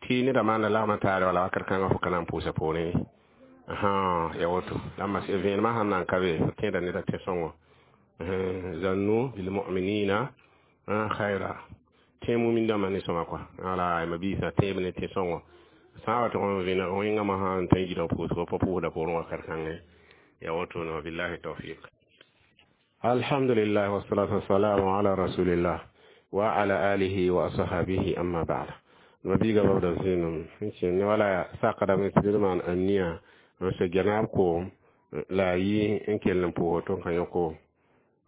tɩ neda maanda lagm n taare, wala wakat kãngã fo ka na n pʋʋsa poorẽ ye, ya woto la mas vẽenemã sãn na n ka be fo tẽeda neda tẽ-sõngo. Zannu bilmuminina khaira, tẽ mumin dãmbã ne sõma kɔa, wala ma biisã tẽeb ne tẽ-sõngo sã n wa tʋg n vẽneg wẽngã mosã n tõe n gɩdg pʋʋsgo pa pʋʋsda poorẽ wakat kãngẽ, ya woto ne wabillahi tawfiq. Alhamdulillah wassalatu wassalamu ala rasulillah wa ala alihi wa ashabihi, amma ba'd. Ma biiga babda zẽenem sẽn kẽ ne wala sakdame tɩ d maan ania n so genaab koom la a yi n kell n pʋʋs tɩ n ka yõ koom,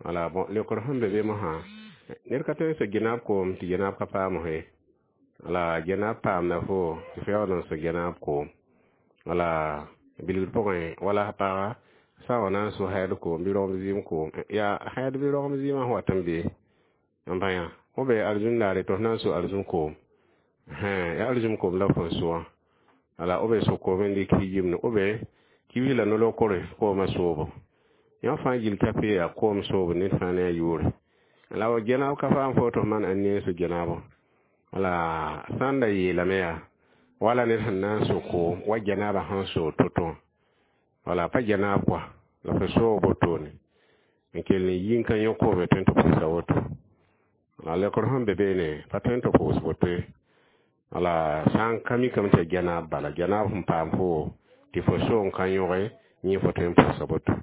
wala bon lekr sẽn be be mosã ned ka tõe n so genaab koom tɩ genaab ka paam ye, wala genaab paamda fo tɩ fo yaool n so genaab koom, wala bilgd pʋgẽ wala paga sã n wa na n so haid koom bɩ rogem zɩɩm koom, yaa haid bɩ rogem zɩɩmã sẽn wat n be n pa yã fo be arzũn laare tɩ f na n so arzũn koom, yaa arzũm koom la fo n so wã, wala b be so koom n dɩk yimne ou bien kibs la nolog kore koomã soobo yã fãa gill ka pe yaa koom soobo ned fãa ne a yʋʋre la genaab ka paam fo tɩ f maan ãn ne n so genaabã, wala sã n da yeelame yaa wala ned sẽn na n so koom wa genaabã sẽn soog to-to wã, wala pa genaab kɔa la fo soog wotone n kell n yi n ka yõ koome tõe n tɩ pʋʋsa woto, la lekr sẽn be beene pa tõe n tɩ pʋʋs woto ye, wala sã n ka mikame tɩ yaa genaab bala genaab sẽn paam fo tɩ fo soog n ka yõge yẽ fo tõe n pʋʋsa woto.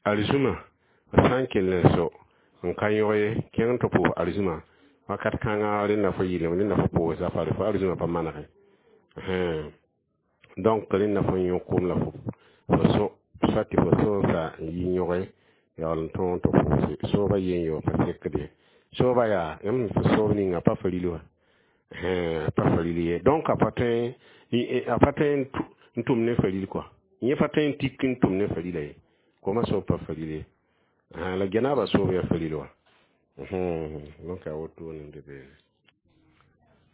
Arzũmã sã n kell n so n ka yõg ye kẽng tɩ pʋʋs arzũmã wakat kãnga rẽnda fo yɩlem rẽnda fo pʋʋsa fare fo arzũmã pa manege, donc rẽnda fo yõ koom la fo so soit tɩ fo so n sa n yi yõge yaool n tõog tɩ pʋʋse sooba yen yo pa sekd ye sooba yaa yãmb fo soob ninga pa fa ril wã, pa fa ril ye, donc a pa tõe n tʋm ne faril kɔa yẽ pa tõe n tik n tʋm ne farila ye koomã soob pa faril ye, la genaabã soob yaa faril wã, donc a wotone n be beene.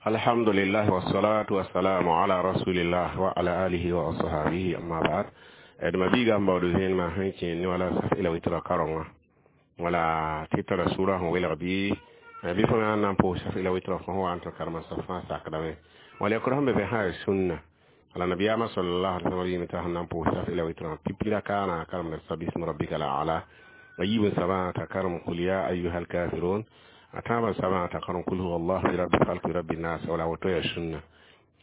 Alhamdulillah wassalatu wassalamu ala rasulillah wa ala alihi wa ashabihi, amma ba'd. D ma biiga n baood zẽenemã sẽn kẽ ne wala saf ila witra karengã, wala tɩ tara sʋra sẽn welg bɩ fo na n pʋʋs saf ila witra fo sẽn wa n tɩ karema saf fãa sakdame, wala yakr sẽn be be sã yaa sũnna, wala nabiyaamã sallallahu alaihi wasallam yɩme t'a sẽn na n pʋʋs saf ila witra pipi rakaana karemda sabism rabbika la ala a yiib n sabã t'a karem qul ya ayuha alkafirun a tãabã sabã t'a karem qul huwa allah bi rabbi falq bi rabbi nas, wala woto yaa sũnna,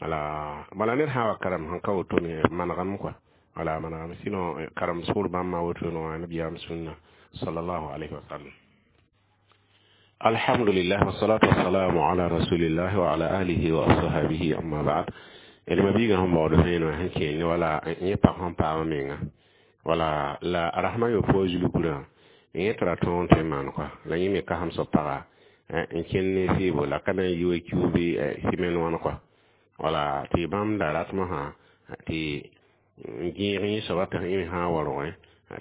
wala bala ned sã n wa karem sẽn ka woto me manegame kɔa, wala manegame sinon karem sʋʋr bãmb woto no nabiyaam sũnna sallallahu alaihi wasallam. Alhamdulillah, wassalatu wassalamu ala rasulillah wa ala alihi wa ashabihi, amma ba'd. D ma biigã sẽn baood vẽenemã sẽn kẽer ne wala yẽ pag sẽn paam menga wala la rasmã yopoe zulkurã yẽ tɩ ra tõog n tõe n maan kɔa la yẽ me kasem soab paga n kẽnd ne sɩɩbo la ka na n yi wa kiu bɩ sɩmɛn wãn kɔa wala tɩ bãmb da rat mosã tɩ n gẽeg yẽ soaba tɩ yẽ me sã n wa rogẽ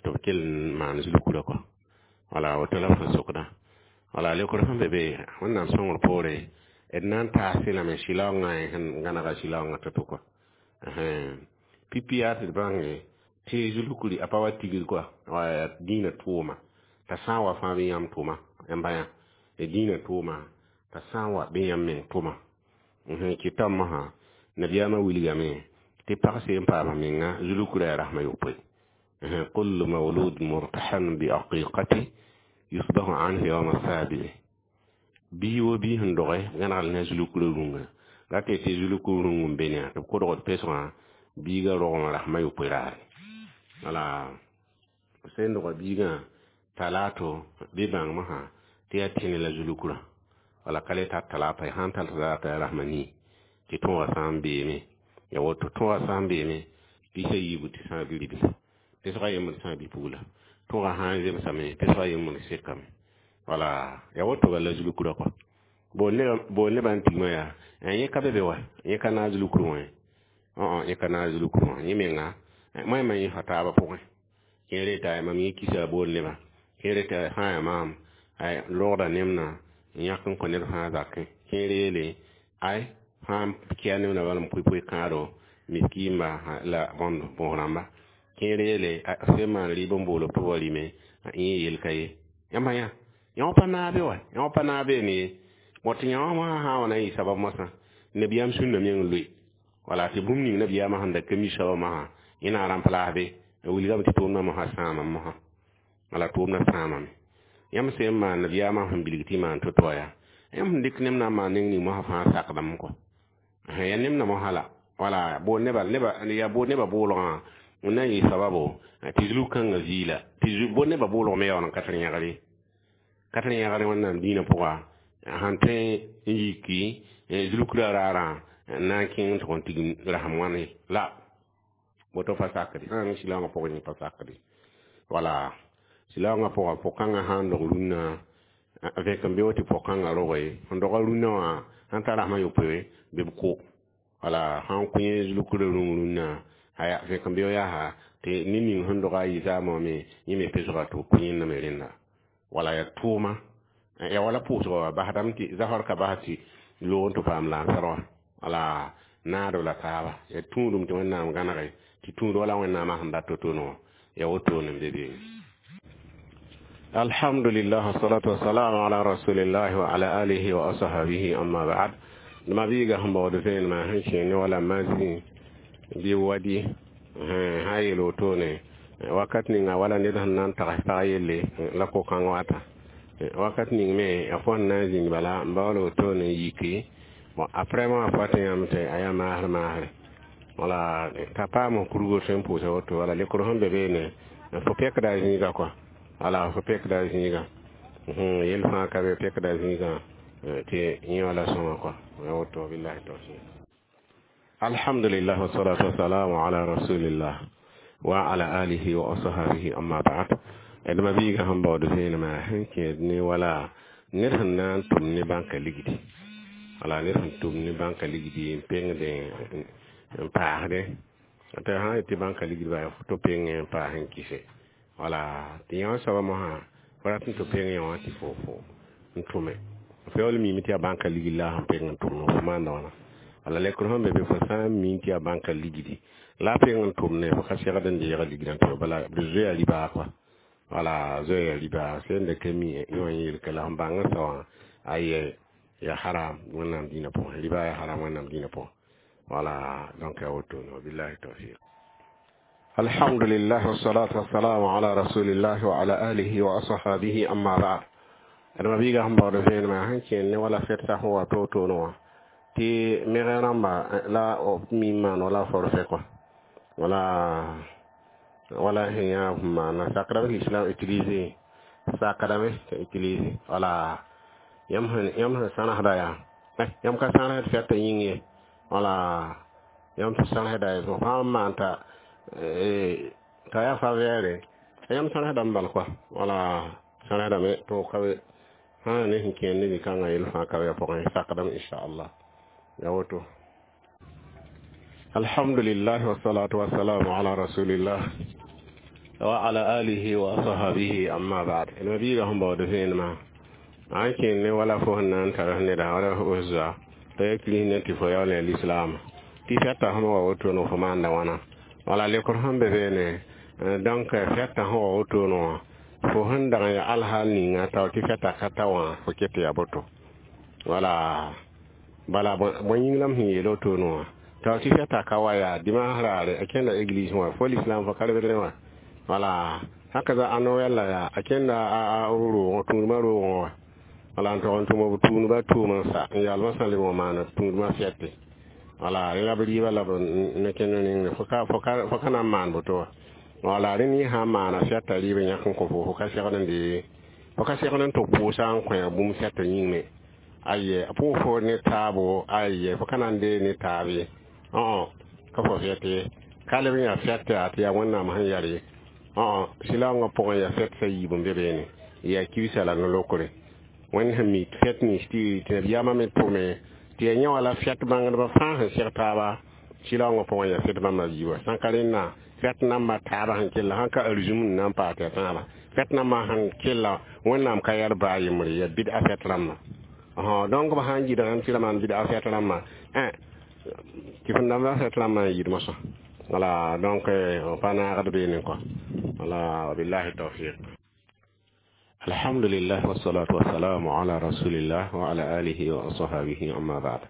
tɩ b kell n maan zulkurã kɔa wala woto la b sẽn sokdã wala leokr sẽn be be Wẽnnaam sõngr poore d na n taas lame sɩlaoongã sẽn gãnega sɩlaoongã to-to kɔa pipi yaa tɩ d bãnge tɩ zulkuri a pa wa tigr kɔa wa dĩinã tʋʋma t'a sã n wa fãa bɩ yãmb tʋma yãmba yã dĩinã tʋʋma t'a sã n wa bɩ yãmb meng tʋma kɩtame mosã nabiyaamã wilgame tɩ pag seen paama menga zulkurã yaa rasmã yopoe kullu mawlud murtahan bi aqiqati yusbahu anhu yawma sabi'i bii wo bii sẽn doge gãnegl ne zulkurã rũngã rat tɩ zulkur rũng n be ne tɩ b kodgd pesgã biigã rogem rasmã yopoe raare wala sẽn dogã biigã talato bɩ bãng mosã tɩ yaa tẽne la zulkurã wala ka le tar talata sãn tar talata yaa rasmã nii tɩ tõogã sã n beeme ya woto tõogã sã n beeme pisa yiibu tɩ sã n bi-ribla pesgã yembr sã n bi-pugla tõogã sã n zemsame pesgã yembr sekame wala ya woto bala zulkurã kɔa bool nebã n tigmã yaa yẽ ka be be wa yẽ ka naag zulkurã wã yẽ ka naag zulkurã wã yẽ menga moẽmã yẽ fa taabã pʋgẽ kẽere t'a mam yẽ kisa bool nebã kẽere t'a sã n yaa maam rogda nemna n yãk n kõ ned fãa zakẽ kẽere yeele ay sã n kia nemna bala n pʋɩ-pʋɩ kãado miskiimba la bõnd bõos rãmba kẽere yeele sẽn maan rɩɩb n bool b tɩ b wa rɩme yẽ yel ka ye yãmba yã yã pa naab wa yã pa naab ne ye bõ tɩ yã wã sã n wa na n yɩ sabab moasã nabiyaam sũnna meng loe wala tɩ bũmb ning nabiyaamã sẽn da ka mi soabã mosã yẽ na n rãmp laasbe wilgame tɩ tʋʋmdã mosã sãamame mosã wala tʋʋmdã sãamame yãmb sẽn maan nabiyaamã sẽn bilg tɩ maan to-to wã yaa yãmb sẽn dɩk neb na n maan neng ning mosã fãa sakdame kɔ ya neb na mosã la wala bool neba ya bool nebã boolgã n na n yɩ sababo tɩ zulg-kãngã viila tɩ bool nebã boolg me yaool n ka tɩ yẽgre ka tɩ yẽgre Wẽnnaam dĩinã pʋga sãn tõe n yiki zulkrã raarã n na n kẽng tɩ kõn tigim rasem wãne la woto pa sakde sã n sɩlaoongã pʋgẽ yẽ pa sakde wala sɩlaoongã pʋga pʋg-kãngã sã n dog rũnnã vẽk n be tɩ pʋg-kãngã roge sẽn doga rũnnã wã sãn tar rasmã yopoe bɩ b kʋ wala sãn kõ yẽ zulkrã rũng rũnnã aya vẽk n beo yaa tɩ ned ning sẽn doga a yɩ zaamã wã me yẽ me pesga tɩ b kõ yẽnda me rẽnda wala ya tʋʋma ya wala pʋʋsgã wa basdame tɩ zafar ka bas tɩ loog n tɩ paam lansar wã wala naadb la taaba ya tũudum tɩ Wẽnnaam gãnege tɩ tũud wala Wẽnnaamã sẽn dat to-to wã ya wotone n be beene. Alhamdulillah, wassalatu wassalamu ala rasulillah wa ala alihi wa ashabihi, amma ba'd. Ma biiga sẽn baood vẽenemã sẽn kẽer ne wala mazi bɩ wadi sã yeel wotone wakat ninga wala ned sẽn na n tags pag yelle la ko-kãng wata wakat ning me a fo sẽn na n zĩnd bala n baool wotone n yiki bon après mo a fo tɩ yãmb tɩ a yaa maasr maasre wala t'a paam kurgo tõe n pʋʋsa woto wala lekr sẽn be beene fo pɛkda a zĩiga kɔa wala fo pɛkda a zĩiga yel fãa ka be pɛkda a zĩigã tɩ yẽ wala sõma kɔa woto billahi tawfiq. Alhamdulillah, wassalatu wassalamu ala rasulillah wa ala alihi wa ashabihi, amma ba'd. D ma biigã sẽn baood vẽenemã sẽn kẽed ne wala ned sẽn na n tʋm ne bãnka ligdi wala ned sẽn tʋm ne bãnka ligdi n pengde n paasdẽ tɩ sã n yetɩ bãnka ligd ba fo tɩ peng n paas n kɩse wala tɩ yã wã soaba mosã fo rat n tɩ peng yã wã tɩ fo n tʋme fo yaool miime tɩ yaa bãnka ligd la sẽn peng n tʋm fo maanda wãna wala lekr sẽn be be fo sã n mi tɩ yaa bãnka ligdi la a peng n tʋmne fo ka segd n deega ligdã tɩ bala d zoeya ribaa kɔa wala zoeya ribaa sẽn dɩk mi yẽ wã yelka la sẽn bãng n sao wã aye ya haram Wẽnnaam dĩinã pʋgẽ ribaa ya haram Wẽnnaam dĩinã pʋgẽ wala donc ya wotone wabillahi tawfiq. Alhamdulillah, wassalatu wassalamu ala rasulillah wa ala alihi wa ashabihi, amma ba'd. D ma biiga sẽn baood vẽenemã sẽn kẽer ne wala fɛtsa sẽn wa to-toone wã tɩ megã rãmba la b mi n maan wala forfait kɔa wala wala sẽn yã maana sakdame l'islam utiliser sakdame t'a utiliser wala Yãmb sẽn sãnesda yaa yãmb ka sãnesd fɛtã yĩng ye. Wala yãmb sẽn sãnesda yaa fo sã n maan t'a t'a yaa favɛɛre, yãmb sãnesdame bal koa. Wala sãnesdame tɩ ka be sã n ne sẽn kẽer ne zĩ-kãngã yell fãa ka be a pʋgẽ, sakdame inchallah. Ya woto. Alhamdulillah, wassalatu wassalamu ala rasulillah wa ala alihi wa ashabihi, amma ba'd. Nabiga sẽn baood vẽenemã a n kẽer ne wala fo sẽn na n tar neda wala fo zoa t'a ya kils ne tɩ fo yaool ya lislaam tɩ fɛta sẽn wa woto no fo maanda wãna. Wala lekr sẽn be beene, donc fɛta sẽn wa woto no fo sẽn dag n ya alhaal ninga tao tɩ fɛta ka ta wã fo ket ya boto. Wala bala bõe yĩng la m sẽn yeel woto no wã tao tɩ fɛta ka wa yaa dimanche raare a kẽnda église wã fo lislaam fo ka rebdrẽ wã. Wala hakaza a noɛl la yaa a kẽnda a roogẽ tũudmã roogẽ wã. Wala n tog n tʋm b tũudmã tʋʋm n sa n yalmã sã leb n maana tũudmã fɛte. Wala rẽ la b rɩɩbã la b ne kẽnd nengre fo ka na n maan boto wã. Wala rẽ yẽ sã n maana fɛta rɩɩb n yãk n kõ fo, fo ka segd n de fo ka segd n tɩ pʋʋsa n kõ bũmb fɛta yĩng me. Aye, a pʋʋs fo ne taabo, aye, fo ka na n dee ne taab ye. Ka fo fɛt ye, ka leb n yaa fɛt yaa tɩ yaa Wẽnnaam sẽn yar ye. Sɩlaoongã pʋgẽ yaa fɛt sã yiib n be beene, yaa kibsa la no-lokre. Wẽnd sẽn mi fɛt nins tɩ nabiyaamã me tʋme tɩ yaa yẽ wala fɛt bãngdbã fãa sẽn seg taaba sɩlaoongã pʋgẽ yaa fɛt bãmba yiibã. Sã n ka rẽnna fɛt nambã taabã sẽn kella sãn ka arzũm n na n paas tɩ yaa tãabã fɛt nambã sẽn kella Wẽnnaam ka yar baa yembre yaa bɩd-a fɛt rãmbã. Donc b sã n gɩdgame tɩ ra maan bɩd-a fɛt rãmbã tɩ fẽn dãmba fɛt rãmbã n yɩɩd mosã. Wala donc pa naagd beene kɔ. Wala wabillahi tawfiq. Alhamdulillah, wassalatu wassalamu ala rasulillah wa ala alihi wa ashabihi, amma ba'd.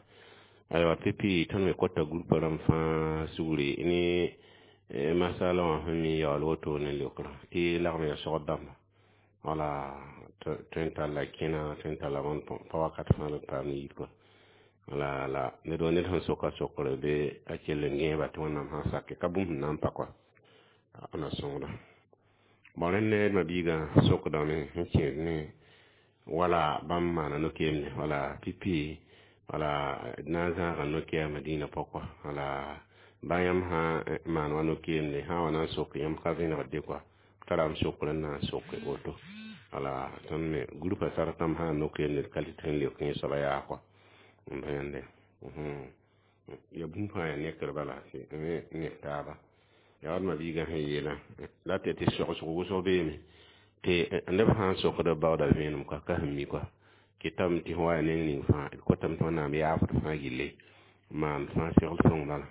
Aywa, pipi tõnd me kota groupe rãmb fãa sugri ne masala wã sẽn mi yaool woto ne leokrã tɩ lagm ya sogd dãmba. Wala tõe n talla kẽna, tõe n talla bõn pa wakat fãa la b paam yid kɔ. Wala la ned wa ned sẽn soka sokre be a kell n gẽeba tɩ Wẽnnaam sã n sake ka bũmb sẽn na n pa kɔ na sõngda. Bon, rẽnd ne d mabiigã sokdame sẽn kẽed ne wala bãmb maana no-keemne. Wala pipi, wala d na n zãaga no-keamã dĩinã pɔkɔ. Wala ba yãmb sã maan wa no-keemne sã n wa na n sok yãmb ka vẽnegd kɔa tara m sokr n na n soke woto. Wala tõnd me groupa sartãmb sã n no-keemne d ka tɩ n leok yẽ soaba yaa kɔa n bã yãnde ya bũmb fãa yaa nekr bala ne taaba. Yaa d mabiigã sẽn yeelã la tɩ tɩ sogsg wʋsg beeme tɩ neb sã n sokd b baooda vẽenem kɔa ka sẽn mi kɔa kɩtame tɩ fõ wa yaa neng ning fãa d kotame tɩ Wẽnnaam yaafd fãa gilli maan fãa segl sõng bala.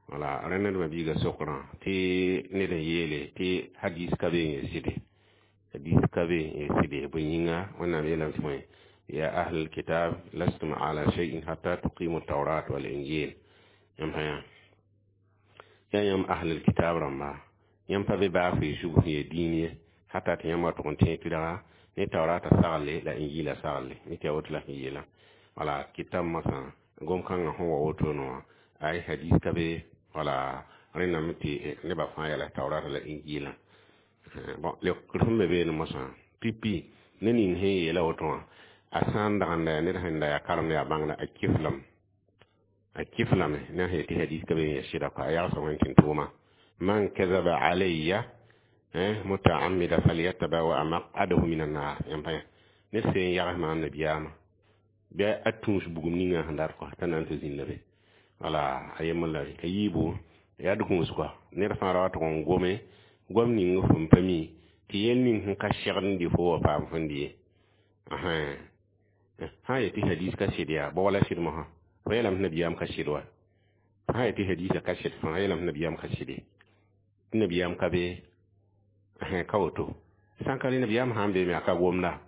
Wala rẽ ned mabiigã sokrã tɩ ned n yeele tɩ hadis ka be n yaa sɩde, hadis ka be n yaa sɩde. Bõe yĩnga Wẽnnaam yeelame tɩ bõe: ya ahlal kitab lastum ala shay'in hatta tuqimu tawrat wal injil. Yãmb sã yaa yãmb ahlal kitab rãmba, yãmb pa be baa fɩ zug sẽn yaa dĩin ye hata tɩ yãmb wa tʋg n tẽeg tɩdga ne taurata sagle la injila sagle ne tɩ ya woto la sẽn yeelã. Wala kɩtame mosã gom-kãngã sẽn wa woto wã ay hadis ka be. Wala rẽndame tɩ nebã fãa yɛla taurata la injilã. Bon, leokr sẽn be beene mosã pipi ne ning sẽn yeela woto wã a sã n dag n da yaa ned sẽn da yaa karemd yaa bãngda a kiflame, a kiflame ne sẽn yetɩ hadis ka be n yaa sɩda kɔa a yagsa Wẽnd tɩ n tʋʋma man kazaba alayya mutaamida falyatabawa maq'adahu min annar. Yãmb pa ned sẽn yags maam nabiyaamã bɩ a tũus bugum ninga sẽn dat kɔa t'a na n tɩ zĩnda be. Wala a yembr la a yiibu yaa d gũus kɔa ned fãa ra wa tʋg n gome goam ning fõn pa mi tɩ yel ning sẽn ka segd n dɩ fo wa paam fõn dɩ ye. Sã n yetɩ hadis ka sɩd yaa bao wala sɩd mosã fo yeelame tɩ nabiyaam ka sɩd wa. Sã n yetɩ hadisã ka sɩd fãa yeelame tɩ nabiyaam ka sɩde, tɩ nabiyaam ka be ka woto. Sã n ka rẽ nabiyaam sã n beeme a ka gomda.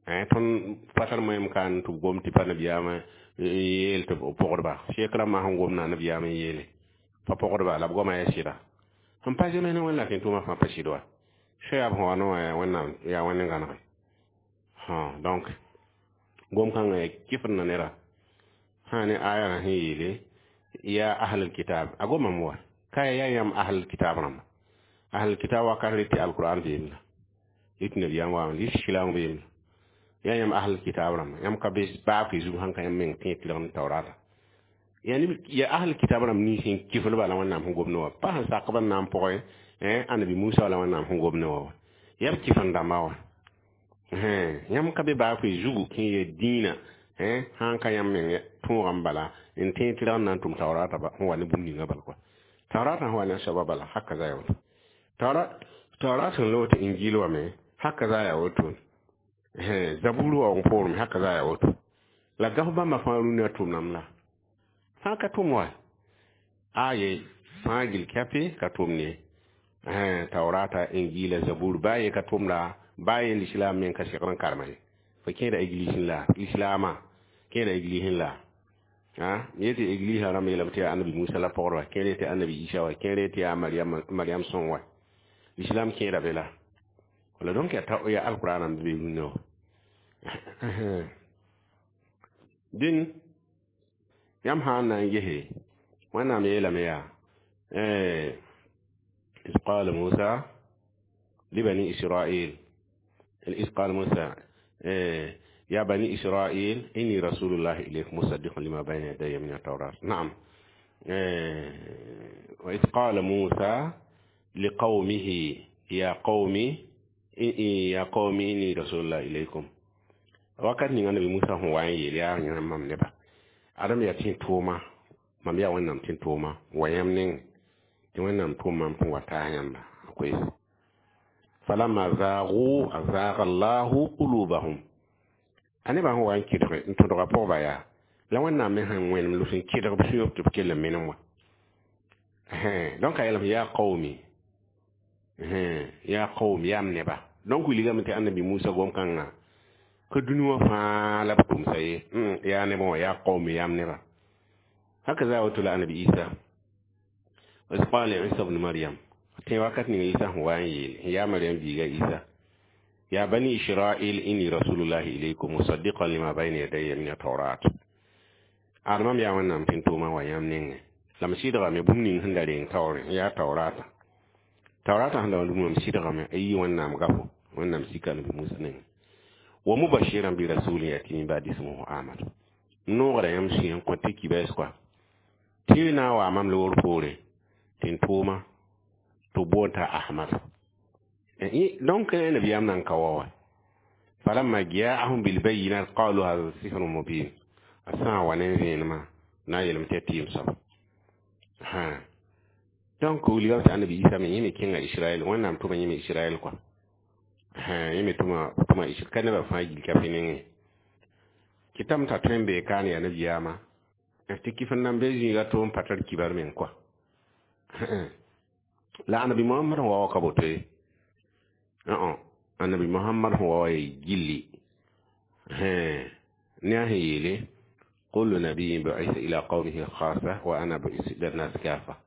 Tõnd pa tar moẽm ka n tɩ b gom tɩ pa nabiyaamã yeel tɩ b pʋgdba sek rãmbã sẽn gomda nabiyaam n yeele pa pʋgdba la b goama yaa sɩda sẽn pa zems ne Wẽnd la tɩ tʋʋmã fãa pa sɩd wa soayaab sẽn wa no wã Wẽnnaam yaa Wẽnd n gãnege. Donc gom-kãngã yaa kɩfd na neda sã ne aya sẽn yeele ya ahlal kitab a gomame wa ka yaa yãmb ahlal kitab rãmba. Ahlal kitab wakat rɩ tɩ alquran beem la rɩ tɩ nabiyaam waame rɩ silaong beem la. Yaa yãmb ahl kitab rãmba, yãmb ka be baafɩ zug sãn ka yãmb meng tẽ tɩlg ne taoorata. Yaa neb yaa ahl kitab rãmb nins sẽn kifl bala Wẽnnaam sẽn gom ne wã, pa sẽn sak b n na n pʋgẽ Ãnabi Musa la Wẽnnaam sẽn gom ne wã wa. Yaa b kifn dãmba wã. Yãmb ka be baafɩ zugu sẽn yee dĩinã, sã n ka yãmb meng tõogã n bala n tẽ tɩlg n na n tʋm taoorata sẽn wa ne bũmb ninga bal kɔa. Taoorata sẽn wa ne a soaba bala, haka za ya woto. Taorat sẽn loog tɩ Injil wa me, haka za ya woto. Zabur wa n poorẽ me, haka za ya woto. La gaf bãmba fãa rũnna tʋmdame la. Fãa ka tʋm wa. Aye, fãa gil kɛpɩ ka tʋm ne. Taoorata, Injila, Zabur, baa ye ka tʋmda, baa ye lislaam meng ka segd n karema ye. Fo kẽeda eglisẽ la, lislaamã kẽeda eglisẽ la. Yetɩ eglisã rãmb yeelame tɩ yaa Ãnabi Musa la pɔgd wa, kẽer tɩ Ãnabi Isa wa, kẽer tɩ yaa Mariam sõng wa. Lislaam kẽeda be la. Wala donc yaa alqur'ana n be rũnnã wã. Dĩn yãmb sã n na n gese Wẽnnaam yeelame yaa إذ قال موسى لبني إسرائيل إذ قال موسى يا بني إسرائيل إني رسول الله إليكم مصدق لما بين يدي من التوراة. نعم. وإذ قال موسى لقومه يا قوم إني رسول الله إليكم. Wakat ninga Nabi Musa sẽn wa n yeel yaa yãmb mam neba, Adem yaa tẽ tʋʋma, mam yaa Wẽnnaam tẽ tʋʋma wa yãmb nengẽ tɩ Wẽnnaam tʋʋm mam tɩ n wa taas yãmba a koees. Falamma zaagu azaaga Allahu qulubahum. A nebã sẽn wa n kɩdge n tõdga pʋgba yaa la Wẽnnaam me sẽn wẽnem lʋs n kɩdg b sũyg tɩ b kell n menem wã. Donc a yeelame yaa qaumi, yaa qaum, yaa m neba. Donc wilgame tɩ Ãnabi Musa gom-kãngã ka dũni wã fãa la b tʋmsa ye, yaa nebã wã, yaa qaumi, yaa m neba. Haka za woto la Ãnabi Isa. وإذ قال عيسى ابن مريم tẽ wakat ning Isa sẽn wa n yeel n yaa Mariam biiga Isa يا بني إسرائيل إني رسول الله إليكم مصدقا لما بين يدي من التوراة. Ad mam yaa Wẽnnaam tɩ n tʋʋma wa yãmb nengẽ la m sɩdgame bũmb ning sẽn da reng taoorẽ yaa taoorata. Taoorata sẽn da wã mam sɩdgame a yii Wẽnnaam gafo, Wẽnnaam sika Nabi Musa nengẽ. Wa mubashiran bi rasulin yati min ba'di ismuhu Ahmad. N noogda yãmb sũyã n kõ tɩ kibɛs kɔa tɩ na n wa mam loor poorẽ tɩ n tʋʋma tɩ b boond t'a Ahmad. Donc nabiyaam nan ka wa wa. Falamma jaahum bilbayinat qalu hadha sihrun mubin. A sã n wa ne vẽenemã na n yeelame tɩ yaa tɩɩm soaba. Donc wilgame tɩ Ãnabi Isa me yẽ me kẽnga Israɛl, Wẽnnaam tʋma yẽ me Israɛl kɔa. Yẽ me tʋma ka nebã fãa gil ka pẽ nengẽ. Kɩtame t'a tõe n bee kaan yaa nabiyaamã tɩ kɩf n nan be zĩiga tʋ n pa tar kibar meng kɔa. La Ãnabi Mohamad sẽn wa wa ka boto ye. Ãnabi Mohamad sẽn wa wa yaa gilli. Ne a sẽn yeele kullu nabiyin bu'itha ila qawmihi khassa wa ana bu'ithtu ila an-nas kafa.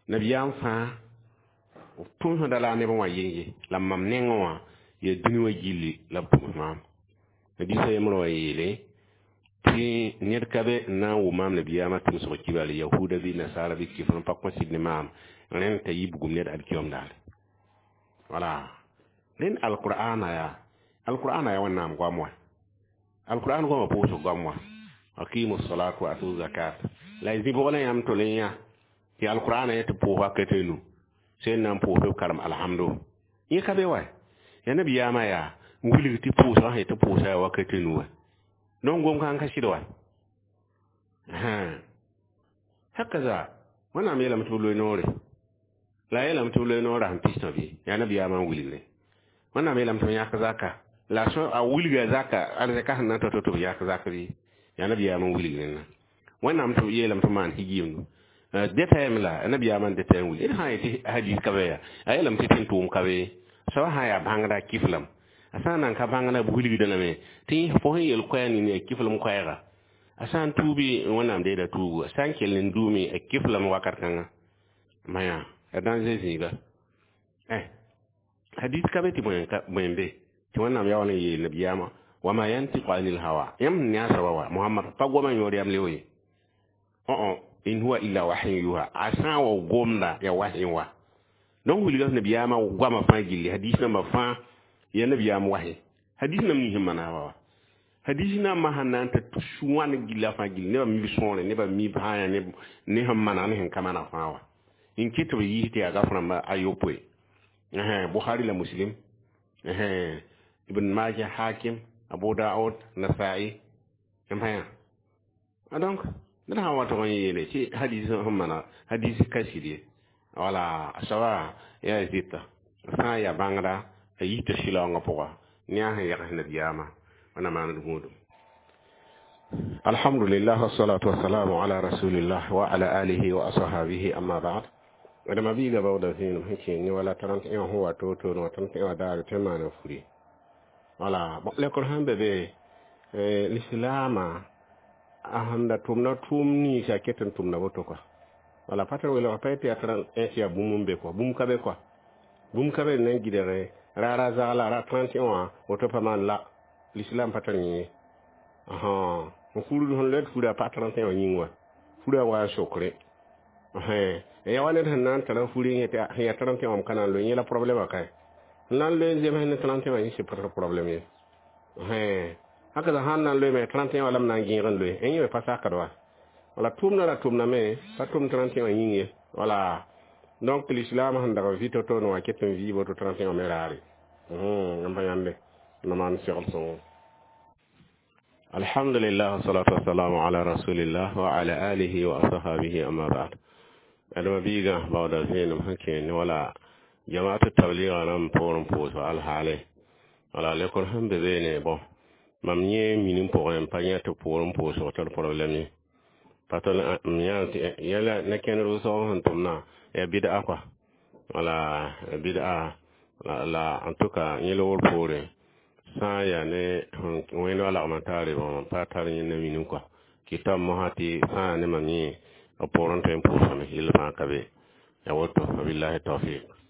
Nabiyaam fãa tʋmsda la a nebã wã yeng ye, la mam nengẽ wã yaa dũni wã gilli la b tʋms maam. Nabiisã yembr wã yeele tɩ ned ka be n na n wʋm maam nabiyaamã tʋmsg kibal yahuda bɩ nasara bɩ kifr n pa kõ sɩd ne maam rẽnd t'a yɩ bugum ned alkiyom daare. Wala rẽnd alqur'ana yaa, alqur'ana yaa Wẽnnaam goam wã. Alqur'an goamã pʋʋsg goam wã. Aqimu salat wa atu zakat. La y zĩ bʋg la yãmb tol n yã tɩ alqur'ana yetɩ pʋʋs wakat a nu sẽn na n pʋʋs b karem alhamdu. Yẽ ka be wa. Yaa nabiyaamã yaa n wilg tɩ pʋʋsgã sẽn tɩ pʋʋsa yaa wakat a nu wa. Donc gom kãng ka sɩd wa. Hakaza Wẽnnaam yeelame tɩ b loe noore. La a yeelame tɩ b loe noorã sẽn pis tõ bɩ yaa nabiyaamã n wilgre. Wẽnnaam yeelame tɩ b yãk zaka. La a wilga zaka arzɛka sẽn na n tɔ tɩ b yãk zak bɩ yaa nabiyaamã n wilg rẽnna. Wẽnnaam tɩ yeelame tɩ b maan higiimdu. Dɛtɛɛm la nabiyaamã n dɛtɛɛm wil. D sã n yetɩ hadis ka be yaa a yeelame tɩ tẽn tʋʋm ka be. Soaba sã n yaa bãngda kiflam. A sã n nan ka bãngda b wilgda lame tɩ fo sẽn yel koɛɛg ning yaa kiflem koɛɛga. A sã n tuubi Wẽnnaam deeda tuubu, a sã n kell n duume a kiflame wakat kãnga. Maya ya danger zĩiga. Hadis ka be tɩ bõe n be tɩ Wẽnnaam yaa wa n yeel nabiyaamã wama yantiqu anil hawa. Yãmb sẽn ne a soaba wa Mohamad pa goma yõod yam le ye. In huwa illa wahyun yuha. A sã n wa gomda yaa wahy wa. Donc wilga nabiyaamã goamã fãa gilli hadis nambã fãa yaa nabiyaam wahy. Hadis nam nins sẽn manag wa hadis nambã sẽn na n ta tus wãn gilla fãa gill nebã mi b sõore, nebã mi b sã ne sẽn manag ne sẽn ka manag fãa wa n ket tɩ b yiis tɩ yaa gaf rãmba a yopoe. Bukhari la Muslim, Ibn Majah, Hakim, Abu Daud, Nasai n pa yã. Donc ned sã n wa tog n yeele tɩ hadis sẽn mana hadis ka sɩd ye, wala a soaba yaa zɩta sã n yaa bãngda a yita sɩlaoongã pʋga ne a sẽn yɛgs nabiyaamã wẽnna maand gũudum. Alhamdulillah, wassalatu wassalamu ala rasulillah wa ala alihi wa ashabihi, amma ba'd. Adama biiga baooda zĩinem sẽn kẽen ne wala 31 sẽn wa to-to wã 31 daare tõe n maana furi. Wala lekor sẽn be be lislaamã a sẽn da tʋmda tʋʋm ninsã ket n tʋmda woto kɔa. Wala pa tar welg pa yetɩ yaa 31 tɩ yaa bũmb n be kɔa, bũmb ka be kɔa, bũmb ka be n na n gɩdge raara zagla ra 31 wã woto pa maan la l'islam pa tar yẽ ye. N furd sẽn loed fura pa 31 wã yĩng wã fura wa n sokre ya wa ned sẽn na n tara furi yẽ tɩ sẽn yaa 31 wã m ka na n loe yẽ la problème kae n na n loe n zems ne 31 wã yẽ sɩ pa tar problème ye. Haka sãn na n loe me 31 wã la m na n gẽeg n loe yẽ me pa sakd wa. Wala tʋʋmdã ra tʋmdame pa tʋm 31 wã yĩng ye. Wala donc l'islam sẽn dag n vɩ to-to wã ket n vɩ woto 31 wã me raare n pa yãmbe na maan segl sõngo. Alhamdulillah, wassalatu wassalamu ala rasulillah wa ala alihi wa ashabihi, amma ba'd. Adama biiga baooda zẽenem sẽn kẽen ne wala jamaatu tabliga rãmb poor n pʋʋs alhaale. Wala lekor sẽn be beene bõn mam yẽ minim pʋgẽ n pa yã tɩ poor n pʋʋsg tar problème ye pa tɩ m yã yɛla ne kẽnd rʋsg sẽn tʋmdã ya bɩd'a kɔa. Wala bɩd'a la en tout cas yẽ loogr poorẽ sã n yaa ne wẽnd wa lagm n taare bõn pa tar yẽnda minim kɔa kɩta mosã tɩ sã n yaa ne mam yẽ b poorẽ tõe n pʋʋsame yell fãa ka be ya woto. Wabillahi tawfiq.